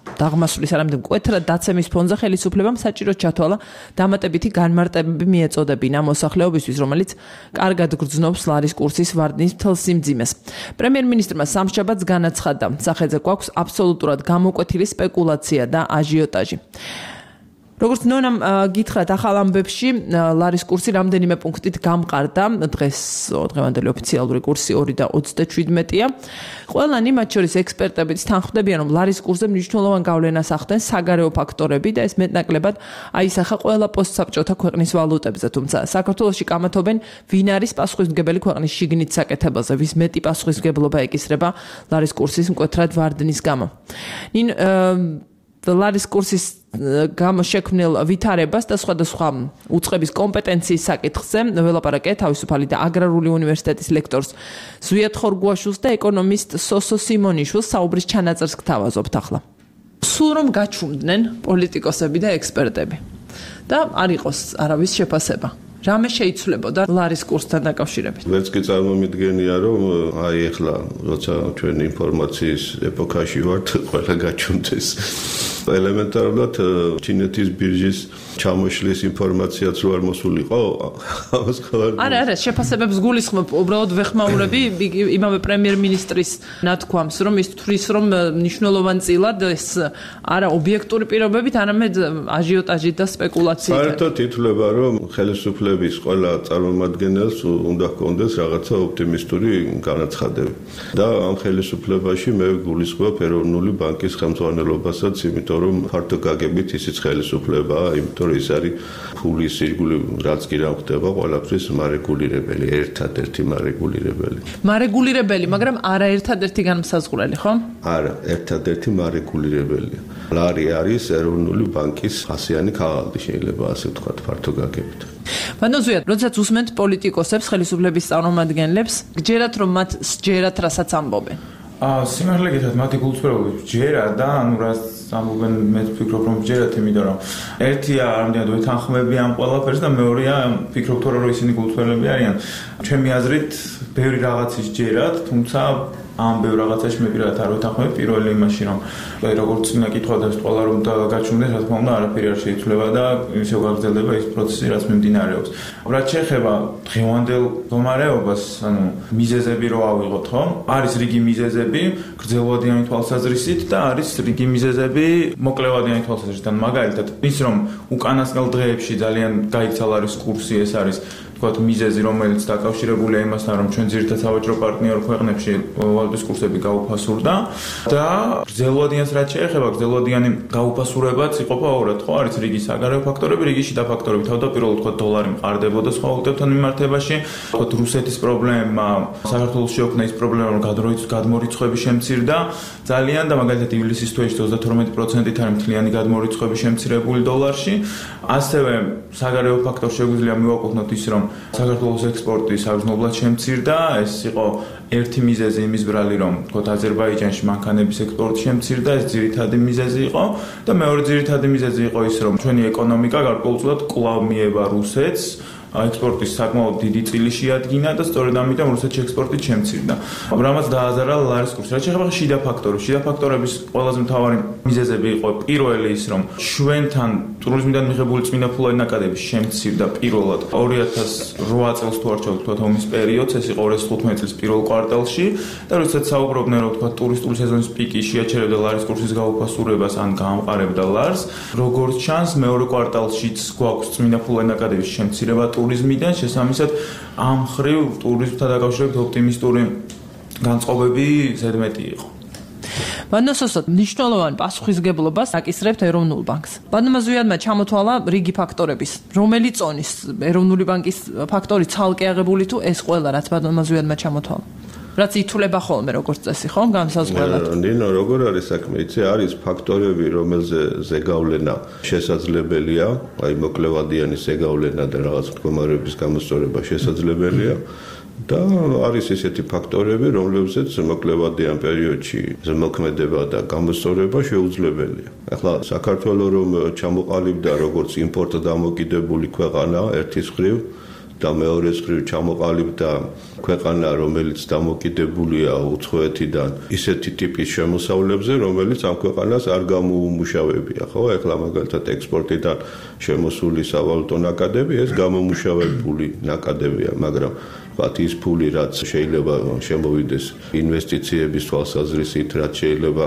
დაღმასვლის არამედ მკვეთრად დაცემის ფონზე ხელისუფლებამ საჭიროდ ჩათვალა დამატებითი განმარტებები მიეწოდებინა მოსახლეობისთვის, რომელიც კარგად გრძნობს ლარის კურსის ვარდნის მთელ სიმძიმეს. პრემიერ-მინისტრმა სამშაბათს განაცხადა, სახელზე გვაქვს აბსოლუტურად გამოკვეთილი სპეკულაცია და აჟიოტაჟი. როგორც ნონამ გითხრათ ახალ ამბებში, ლარის კურსი რამდენიმე პუნქტით გამყარდა. დღეს დღევანდელი ოფიციალური კურსი ორი და ოცდაშვიდმეტია. ყველანი, მათ შორის ექსპერტებიც თანხმდებიან, რომ ლარის კურსზე მნიშვნელოვან გავლენას ახდენს საგარეო ფაქტორები და ეს მეტნაკლებად აისახა ყველა პოსტსაბჭოთა ქვეყნის ვალუტებზე. თუმცა საქართველოში კამათობენ, ვინ არის პასუხისმგებელი ქვეყნის შიგნით საკეთებაზე, ვის მეტი პასუხისმგებლობა ეკისრება ლარის კურსის მკვეთრად ვარდნის გამო. ნინ ლარის კურსის გამო შექმნილ ვითარებას და სხვადასხვა უწყების კომპეტენციის საკითხზე ველაპარაკე თავისუფალი და აგრარული უნივერსიტეტის ლექტორს ზვიად ხორგუაშვილს და ეკონომისტ სოსო სიმონიშვილს. საუბრის ჩანაწერს გთავაზობთ ახლა. სულ რომ გაჩუმდნენ პოლიტიკოსები და ექსპერტები და არ იყოს არავის შეფასება. რამე შეიცვლებოდა ლარის კურსთან დაკავშირებით? ვერც კი წარმომიდგენია, რომ აი ახლა როცა ჩვენ ინფორმაციის ეპოქაში ვართ, ყველა გაჩუნდეს. ელემენტარულად ჩინეთის ბირჟის ჩამოშლის ინფორმაციაც რო არ მოსულიყო, ამას ხარ. არა, არა, შეფასებებს გულისხმობ, უბრალოდ ვეხმაურები იმავე პრემიერ-მინისტრის ნათქვამს, რომ ის თვლის, რომ მნიშვნელოვანწილად ეს არა ობიექტური პირობებით, არამედ აჟიოტაჟით და სპეკულაციით. საერთოდ ითვლება, რომ ხელისუფლების ყველა წარმომადგენელს უნდა ჰქონდეს რაღაცა ოპტიმისტური განაცხადები. და ამ ხელისუფლებაში მე გულისხმობ ეროვნული ბანკის ხელმძღვანელობასაც, იმიტომ რომ ფართო გაგებით ისიც ხელისუფლებაა, იმიტომ რომ ის არის ფულის ირგვლივ რაც კი რა ხდება, ყველაფრის მარეგულირებელი, ერთადერთი მარეგულირებელი. მარეგულირებელი, მაგრამ არა ერთადერთი განმსაზღვრელი, ხო? არა, ერთადერთი მარეგულირებელია. ლარი არის ეროვნული ბანკის ასიანი ქაღალდი, შეიძლება ასე ვთქვათ, ფართო გაგებით. ბანო ზვიად, როდესაც უსმენთ პოლიტიკოსებს, ხელისუფლების წარმომადგენლებს, გჯერათ რომ მათ სჯერათ რასაც ამბობენ. აა, სიმართლე გითხრათ, მათი გულწრფელობით ჯერა და ანუ რაც ამბობენ, მე ვფიქრობ რომ ჯერათ, იმიტომ რომ ერთია რამდენად ვეთანხმებიან ყველაფერს და მეორეა ვფიქრობ თორე რომ ისინი გულწრფელები არიან. ჩემი აზრით, ბევრი რაღაცის ჯერათ, თუმცა ამ ბევრ რაღაცაში მე პირადად არ ვეთანხმებ პირველი იმაში რომ როგორც წინა კითხვა და ყველა რომ გაჩუმდეს, რა თქმა უნდა, არაფერი არ შეიცვლება და ისევ გაგრძელდება ის პროცესი, რაც მიმდინარეობს. რაც შეეხება დღევანდელ მდგომარეობას, ანუ მიზეზები რო ავიღოთ, ხო? არის რიგი მიზეზები გრძელვადიანი თვალსაზრისით და არის რიგი მიზეზები მოკლევადიანი თვალსაზრისით. მაგალითად, ის რომ უკანასკნელ დღეებში ძალიან გაიქცა ლარის კურსი, ეს არის თქვათ მიზეზი, რომელიც დაკავშირებულია იმასთან, რომ ჩვენ ძირითადად სავაჭრო პარტნიორ ქვეყნებში ვალუტის კურსები გაუფასურდა და გრძელვადიანს რაც შეეხება, გრძელვადიანი გაუფასურებაც იყოფა ორად, ხო? არის რიგი საგარეო ფაქტორები, რიგი შიდა ფაქტორები. თავდაპირველად თქვათ დოლარი მყარდებოდა სხვა ვალუტებთან მიმართებაში, თქვათ რუსეთის პრობლემა, საქართველოს შეოქმნა ის პრობლემა, რომ გადმორიცხვები შემცირდა ძალიან და მაგალითად ივლისის თვეში ოცდათორმეტი პროცენტით არის მთლიანი გადმორიცხვები შემცირებული დოლარში. ასევე საგარეო ფაქტორ შეგვიძლია მივაკუთვნოთ ის, რომ საქართველოს ექსპორტი საგრძნობლად შემცირდა, ეს იყო ერთი მიზეზი იმის ბრალი, რომ თქოთ აზერბაიჯანში მანქანების ექსპორტი შემცირდა, ეს ძირითადი მიზეზი იყო და მეორე ძირითადი მიზეზი იყო ის, რომ ჩვენი ეკონომიკა გარკვეულწილად კვლავ მიევა რუსეთს, ექსპორტის საკმაოდ დიდი წილი შეადგინა და სწორედ ამიტომ რუსეთში ექსპორტი შემცირდა. რამაც დააზარა ლარის კურსი. რაც შეეხება შიდა ფაქტორებს, შიდა ფაქტორების ყველაზე მთავარი მიზეზები იყო პირველი ის, რომ ჩვენთან ტურიზმიდან მიღებული წმინდა ფულადი ნაკადები შემცირდა პირველად ორი ათას რვა წელს თუ არ ჩავთქვათ ომის პერიოდს, ეს იყო ორი ათას თხუთმეტი წლის პირველ კვარტალში და როდესაც საუბრობდნენ, რომ თქვა ტურისტული სეზონის პიკი შეაჩერებდა ლარის კურსის გაუფასურებას ან გაამყარებდა ლარს, როგორც ჩანს მეორე კვარტალშიც გვაქვს წმინდა ფულადი ნაკადების შემცირება ტურიზმიდან, შესაბამისად ამ ხრივ ტურიზმთან დაკავშირებით ოპტიმისტური განწყობები ზედმეტი იყო. ბანასოსად მნიშვნელოვან პასუხისგებლობას აკისრებთ ეროვნულ ბანკს. ბანამაზვიადმა ჩამოთვალა რიგი ფაქტორების, რომელი წონის ეროვნული ბანკის ფაქტორი ცალკე აღებული თუ ეს ყველა რაც ბანამაზვიადმა ჩამოთვალა. რაც ითვლება ხოლმე როგორც წესი, ხო, განსაზღვრელად. ნინო, როგორ არის საქმე? იცი, არის ფაქტორები, რომელზე ზეგავლენა შესაძლებელია, აი მოკლევადიანი ზეგავლენა და რაღაც მდგომარეობის გამოსწორება შესაძლებელია. და არის ესეთი ფაქტორები, რომლებზეც მოკლევადიან პერიოდში ზემოქმედება და გამოსწორება შეუძლებელია. ახლა საქართველოს რომ ჩამოყალიბდა როგორც იმპორტდამოკიდებული ქვეყანა ერთის მხრივ და მეორეს მხრივ ჩამოყალიბდა ქვეყანა, რომელიც დამოკიდებულია უცხოეთიდან ისეთი ტიპის შემოსავლებზე, რომელიც ამ ქვეყანას არ გამოუმუშავებია, ხო? ახლა მაგალითად ექსპორტიდან შემოსული სავალუტო ნაკადები, ეს გამომუშავებული ნაკადებია, მაგრამ ვთქვათ ის ფული, რაც შეიძლება შემოვიდეს ინვესტიციების თვალსაზრისით, რაც შეიძლება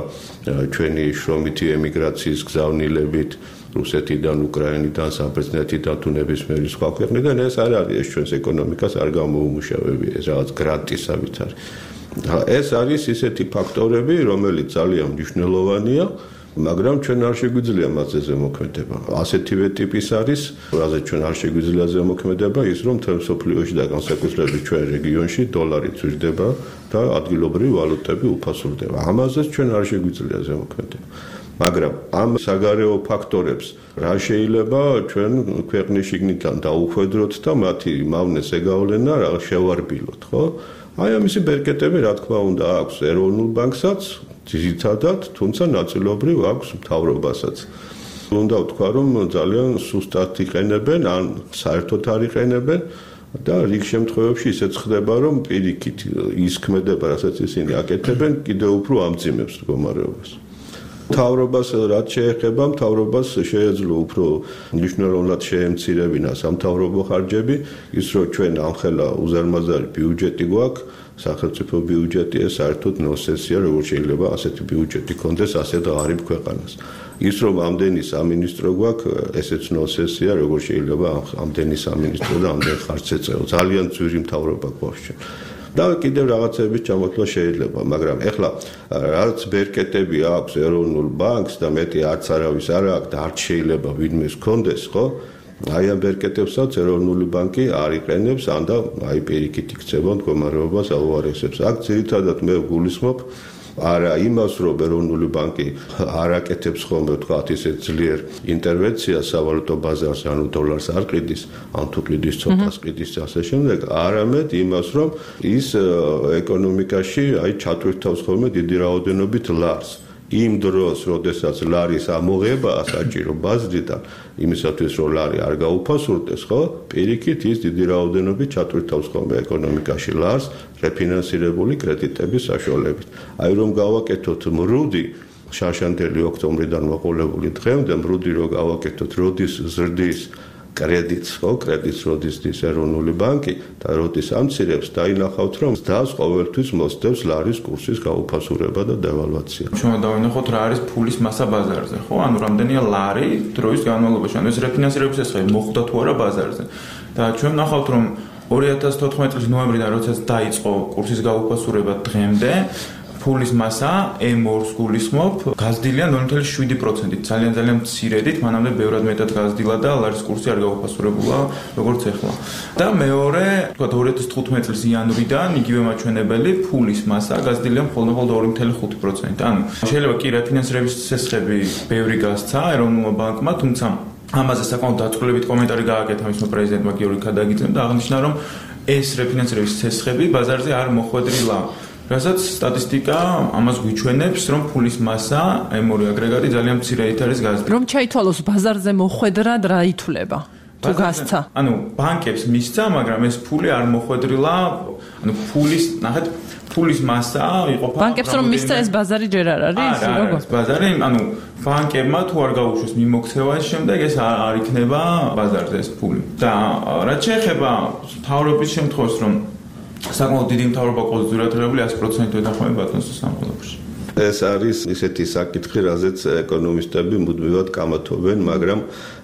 ჩვენი შრომითი ემიგრაციის გზავნილებით რუსეთიდან, უკრაინიდან, საბერძნეთიდან თუ ნებისმიერი სხვა ქვეყნიდან, ეს არ არის, ეს ჩვენს ეკონომიკას არ გამოუმუშავებია, ეს რაღაც გრანტისავით არის. ეს არის ისეთი ფაქტორები, რომელიც ძალიან მნიშვნელოვანია, მაგრამ ჩვენ არ შეგვიძლია მასზე ზემოქმედება. ასეთივე ტიპის არის, რაზე ჩვენ არ შეგვიძლია ზემოქმედება, ის რომ მთელ მსოფლიოში და განსაკუთრებით ჩვენ რეგიონში დოლარი ძვირდება და ადგილობრივი ვალუტები უფასურდება. ამაზეც ჩვენ არ შეგვიძლია ზემოქმედება. მაგრამ ამ საგარეო ფაქტორებს რა შეიძლება ჩვენ ქვეყნის შიგნიდან დაუხვედროთ და მათი მავნე ზეგავლენა რა შევარბილოთ, ხო? აი ამისი ბერკეტები რა თქმა უნდა აქვს ეროვნულ ბანკსაც ძირითადად, თუმცა ნაწილობრივ აქვს მთავრობასაც. უნდა ვთქვა, რომ ძალიან სუსტად იყენებენ, ან საერთოდ არ იყენებენ და რიგ შემთხვევებში ისეც ხდება, რომ პირიქით ის ქმედება, რასაც ისინი აკეთებენ, კიდევ უფრო ამძიმებს მდგომარეობას. მთავრობას რაც შეეხება, მთავრობას შეეძლო უფრო მნიშვნელოვნად შეემცირებინა სამთავრობო ხარჯები, ის რომ ჩვენ ამხელა უზარმაზარი ბიუჯეტი გვაქვს, სახელმწიფო ბიუჯეტი, ეს საერთოდ ნონსენსია, როგორ შეიძლება ასეთი ბიუჯეტი კონდეს ასეთ ღარიბ ქვეყანას. ის რომ ამდენი სამინისტრო გვაქვს, ესეც ნონსენსია, როგორ შეიძლება ამდენი სამინისტრო და ამდენ ხარჯს ეწეო. ძალიან ძვირი მთავრობა გვაქვს ჩვენ. და კიდევ რაღაცების ჩამოთვლა შეიძლება, მაგრამ ეხლა რაც ბერკეტები აქვს ეროვნულ ბანკს და მეტი არც არავის არ აქვს და არც შეიძლება ვინმეს კონდეს, ხო? აი ამ ბერკეტებსაც ეროვნული ბანკი არ იყენებს, ან და აი პირიქით იქცევა მდგომარეობას აუარესებს. აქ ძირითადად მე გულისხმობ არა იმას, რომ ეროვნული ბანკი არ აკეთებს ხოლმე თქვათ ისე ძლიერ ინტერვენციას სავალუტო ბაზარზე, ანუ დოლარს არ ყიდის, ან თუ ყიდის ცოტას ყიდის ასე შემდეგ, არამედ იმას, რომ ის ეკონომიკაში აი ჩატვირთავს ხოლმე დიდი რაოდენობით ლარს. იმ დროს, როდესაც ლარის ამოღება საჭირო ბაზრიდან, იმისათვის რომ ლარი არ გაუფასურდეს, ხო? პირიქით ის დიდი რაოდენობით ჩატვირთავს ხოლმე ეკონომიკაში ლარს რეფინანსირებული კრედიტების საშუალებით. აი რომ გავაკეთოთ მრუდი შარშანდელი ოქტომბრიდან მოყოლებული დღემდე, მრუდი რომ გავაკეთოთ როდის ზრდის კრედიტს, ხო, კრედიტს როდის დის ეროვნული ბანკი და როდის ამცირებს, დაინახავთ, რომ ზდას ყოველთვის მოსდევს ლარის კურსის გაუფასურება და დევალვაცია. ჩვენ დავინახოთ რა არის ფულის მასა ბაზარზე, ხო? ანუ რამდენია ლარი დროის განმავლობაში, ანუ ეს რეფინანსირების ეს მოხვდა თუ არა ბაზარზე. და ჩვენ ნახავთ, რომ ორი ათას თოთხმეტი წლის ნოემბრიდან როდესაც დაიწყო კურსის გაუფასურება დღემდე, ფულის მასა ემ ორს გულისხმობ, გაზრდილია ნული ნული შვიდი პროცენტით, ძალიან ძალიან მცირედით, მანამდე ბევრად მეტად გაზრდილა და ლარის კურსი არ გაუფასურებულა, როგორც ახლა. და მეორე, თქვათ ორი ათას თხუთმეტი წლის იანვრიდან იგივე მაჩვენებელი ფულის მასა გაზრდილია მხოლოდ ორი ნული ხუთი პროცენტით. ანუ შეიძლება კი რეფინანსირების ცესხები ბევრი გასცა ეროვნულმა ბანკმა, თუმცა ამაზე საკმაოდ დაწვრილებით კომენტარი გააკეთა მისმა პრეზიდენტმა გიორგი ქადაგიძემ და აღნიშნა, რომ ეს რეფინანსირების ცესხები ბაზარზე არ მოხვედრილა. რასაც სტატისტიკა ამას გვიჩვენებს, რომ ფულის მასა ემ ორი აგრეგატი ძალიან მცირედ არის გაზრდილი. რომ ჩაითვალოს ბაზარზე მოხვედრად რა ითვლება? თუ გასცა. ანუ ბანკებს მისცა, მაგრამ ეს ფული არ მოხვედრილა, ანუ ფულის, ნახეთ, ფულის მასა იყოფა. ბანკებს რომ მისცა ეს ბაზარი ჯერ არ არის, როგორ? ბაზარი, ანუ ბანკებმა თუ არ გაუშვეს მიმოქცევას, შემდეგ ეს არ იქნება ბაზარზე ეს ფული. და რაც შეეხება მთავრობის შემთხვევას, რომ საკმაოდ დიდი მთავრობა კონსოლიდირებული ათი პროცენტი ეთანხმება ბატონს სამყაროში. ეს არის ისეთი საკითხი, რაზეც ეკონომისტები მუდმივად კამათობენ, მაგრამ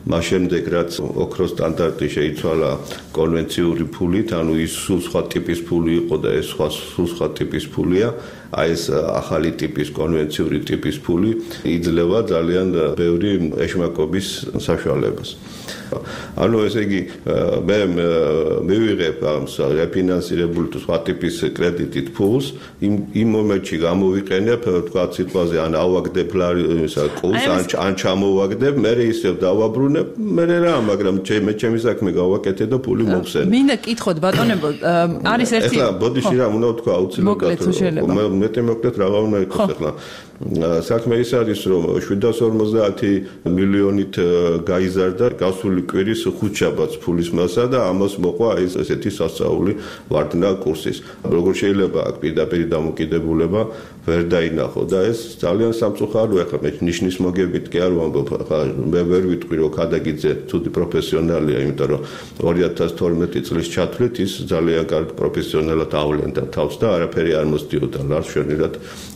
მას შემდეგ რაც ოქროს სტანდარტი შეიცვალა კონვენციური ფულით, ანუ ის სულ სხვა ტიპის ფული იყო და ეს სხვა სულ სხვა ტიპის ფულია, აი ეს ახალი ტიპის კონვენციური ტიპის ფული იძლევა ძალიან ბევრი ეშმაკობის საშუალებას. ანუ ესე იგი მე მივიღებ ამ რეფინანსირებული თუ სხვა ტიპის კრედიტით ფულს, იმ იმ მომენტში გამოვიყენებ, თქვა სიტყვაზე ან ავაგდებ კურსს, ან ან ჩამოვაგდებ, მე ისევ დავაბრუნებ, მე რა, მაგრამ მე ჩემი საქმე გავაკეთე და ფული მოვხსენე. მინდა კითხოთ ბატონებო, არის ერთი ეხლა ბოდიში რა უნდა თქვა აუცილებლად. მეტი მოკლედ რა უნდა იყოს ეხლა. საქმე ის არის, რომ შვიდას ორმოცდაათი მილიონით გაიზარდა გასული კვირის ხუთშაბათს ფულის მასა და ამას მოყვა ის ესეთი სასწაული ვარდნა კურსის. როგორ შეიძლება აქ პირდაპირ დამოკიდებულება ვერ დაინახო და ეს ძალიან სამწუხაროა. ეხლა მე ნიშნის მოგებით კი არ ვამბობ, ხა მე ვერ ვიტყვი რომ ქადაგიძე ცუდი პროფესიონალია, იმიტომ რომ ორი ათას თორმეტი წლის ჩათვლით ის ძალიან კარგ პროფესიონალად ავლენდა თავს და არაფერი არ მოსდიოდა, რაც შენერად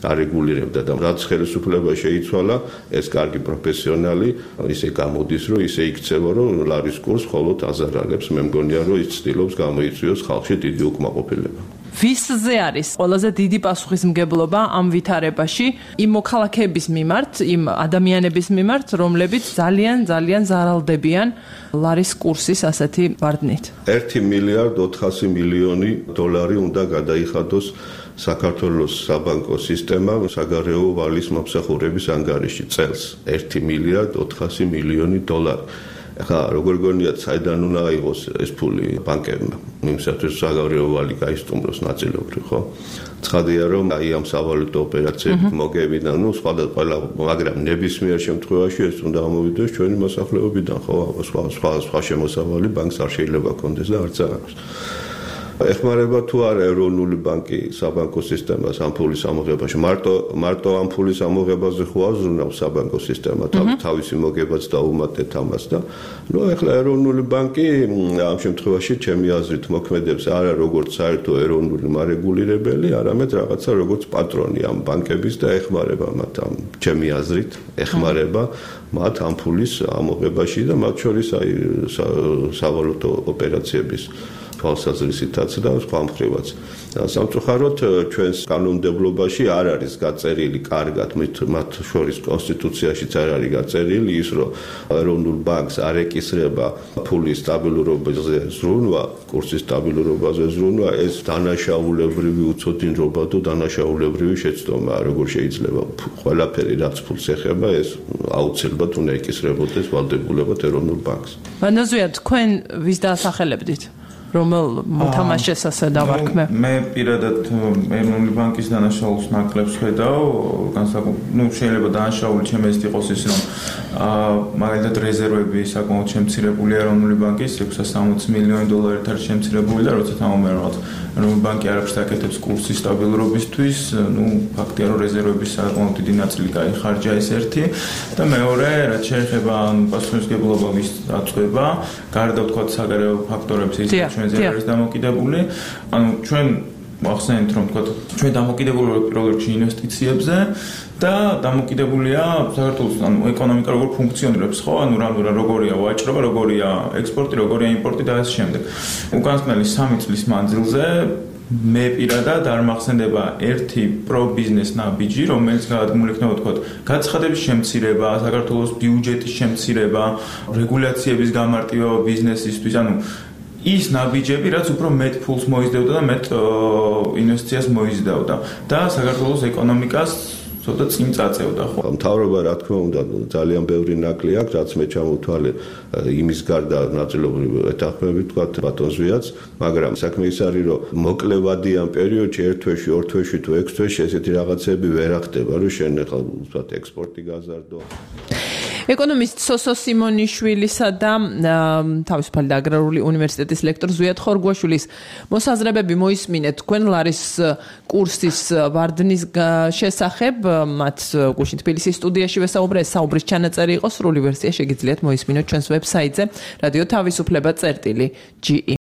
არეგულირებდა და რაც ხელისუფლება შეიცვალა, ეს კარგი პროფესიონალი ისე გამოდის, რომ ისე იქცევა, რომ ლარის კურს მხოლოდ აზარალებს. მე მგონია, რომ ის ცდილობს გამოიწვიოს ხალხში დიდი უკმაყოფილება. ვისზე არის ყველაზე დიდი პასუხისმგებლობა ამ ვითარებაში იმ მოქალაქეების მიმართ, იმ ადამიანების მიმართ, რომლებიც ძალიან ძალიან ზარალდებიან ლარის კურსის ასეთი ვარდნით? ერთი მილიარდ ოთხასი მილიონი დოლარი უნდა გადაიხადოს საქართველოს საბანკო სისტემა საგარეო ვალის მომსახურების ანგარიში წელს. ერთი მილიარდ ოთხასი მილიონი დოლარი. ახლა როგორ გონიათ, საიდან უნდა აიღოს ეს ფული ბანკებმა? იმისათვის საგარეო ვალი გაისტუმროს ნაწილობრივ, ხო? ცხადია, რომ აი ამ სავალუტო ოპერაციებით მოგებიდან, ну, სხვადასხვა, მაგრამ ნებისმიერ შემთხვევაში ეს უნდა ამოვიდეს ჩვენი მოსახლეობიდან, ხო? სხვა სხვა სხვა შემოსავალი ბანკს არ შეიძლება კონდეს და არც არ აქვს. ეხმარება თუ არა ეროვნული ბანკი საბანკო სისტემას ამ ფულის ამოღებაში? მარტო მარტო ამ ფულის ამოღებაზე ხო აზრუნავს საბანკო სისტემა თავისი მოგებაც დაუმატეთ ამას და ნუ ეხლა ეროვნული ბანკი ამ შემთხვევაში ჩემი აზრით მოქმედებს არა როგორც საერთო ეროვნული მარეგულირებელი, არამედ რაღაცა როგორც პატრონი ამ ბანკების და ეხმარება მათ ამ ჩემი აზრით ეხმარება მათ ამ ფულის ამოღებაში და მათ შორის აი სავალუტო ოპერაციების თვალსაზრისითაც და სხვა მხრივაც. სამწუხაროდ ჩვენს კანონმდებლობაში არ არის გაწერილი კარგად, მათ შორის კონსტიტუციაშიც არ არის გაწერილი ის, რომ ეროვნულ ბანკს არ ეკისრება ფულის სტაბილურობაზე ზრუნვა, კურსის სტაბილურობაზე ზრუნვა, ეს დანაშაულებრივი უცოდინრობა და დანაშაულებრივი შეცდომაა, როგორ შეიძლება ყველაფერი რაც ფულს ეხება, ეს აუცილებლად უნდა ეკისრებოდეს ვალდებულებად ეროვნულ ბანკს. ბანაზუია, თქვენ ვის დაასახელებდით? რომელ მოთამაშეს ასე დავარქმე? მე პირადად ეროვნული ბანკის დანაშაულს ნაკლებს ხედავ, განსაკუთრებით, ну, შეიძლება დანაშაული ჩემს ეს იყოს ის, რომ მაგალითად რეზერვები საკმაოდ შემცირებული ეროვნული ბანკის ექვსას სამოცი მილიონი დოლარით არის შემცირებული და როცა თამამე რაღაც ეროვნული ბანკი არაფერს აკეთებს კურსის სტაბილურობისთვის, ну, ფაქტია რომ რეზერვების საკმაოდ დიდი ნაწილი გაიხარჯა ეს ერთი და მეორე, რაც შეეხება პასუხისმგებლობა ვის აწვება, გარდა თქვა საგარეო ფაქტორების ის ჩვენზე არის დამოკიდებული. ანუ ჩვენ ახსენეთ რომ თქვა ჩვენ დამოკიდებული ვართ პირველ რიგში ინვესტიციებზე და დამოკიდებულია საქართველოს ანუ ეკონომიკა როგორ ფუნქციონირებს, ხო? ანუ რა როგორია ვაჭრობა, როგორია ექსპორტი, როგორია იმპორტი და ასე შემდეგ. უკანასკნელი სამი წლის მანძილზე მე პირადად არ მახსენდება ერთი პრო-ბიზნეს ნაბიჯი, რომელიც გადადგმული იქნება თქვა გაცხადების შემცირება, საქართველოს ბიუჯეტის შემცირება, რეგულაციების გამარტივება ბიზნესისთვის, ანუ ის ნაბიჯები, რაც უფრო მეტ ფულს მოიზდევდა და მეტ ინვესტიციას მოიზდევდა და საქართველოს ეკონომიკას ცოტა წინ წაწევდა ხო. მთავრობა რა თქმა უნდა ძალიან ბევრი ნაკლი აქვს, რაც მე ჩამოვთვალე იმის გარდა ნაწილობრივ ეთანხმები თქვა ბატონზვიაც, მაგრამ საქმე ის არის, რომ მოკლევადიან პერიოდში ერთ თვეში, ორ თვეში თუ ექვს თვეში ესეთი რაღაცები ვერ ახდება, რომ შენ ახლა ვთქვათ ექსპორტი გაზარდო. ეკონომისტ სოსო სიმონიშვილისა და თავისუფალი და აგრარული უნივერსიტეტის ლექტორ ზვიად ხორგვაშვილის მოსაზრებები მოისმინეთ თქვენ ლარის კურსის ვარდნის შესახებ, მათ გუშინ თბილისის სტუდიაში ვესაუბრე, საუბრის ჩანაწერი იყო, სრული ვერსია შეგიძლიათ მოისმინოთ ჩვენს ვებსაიტზე radio თავისუფლება წერტილი ჯი ი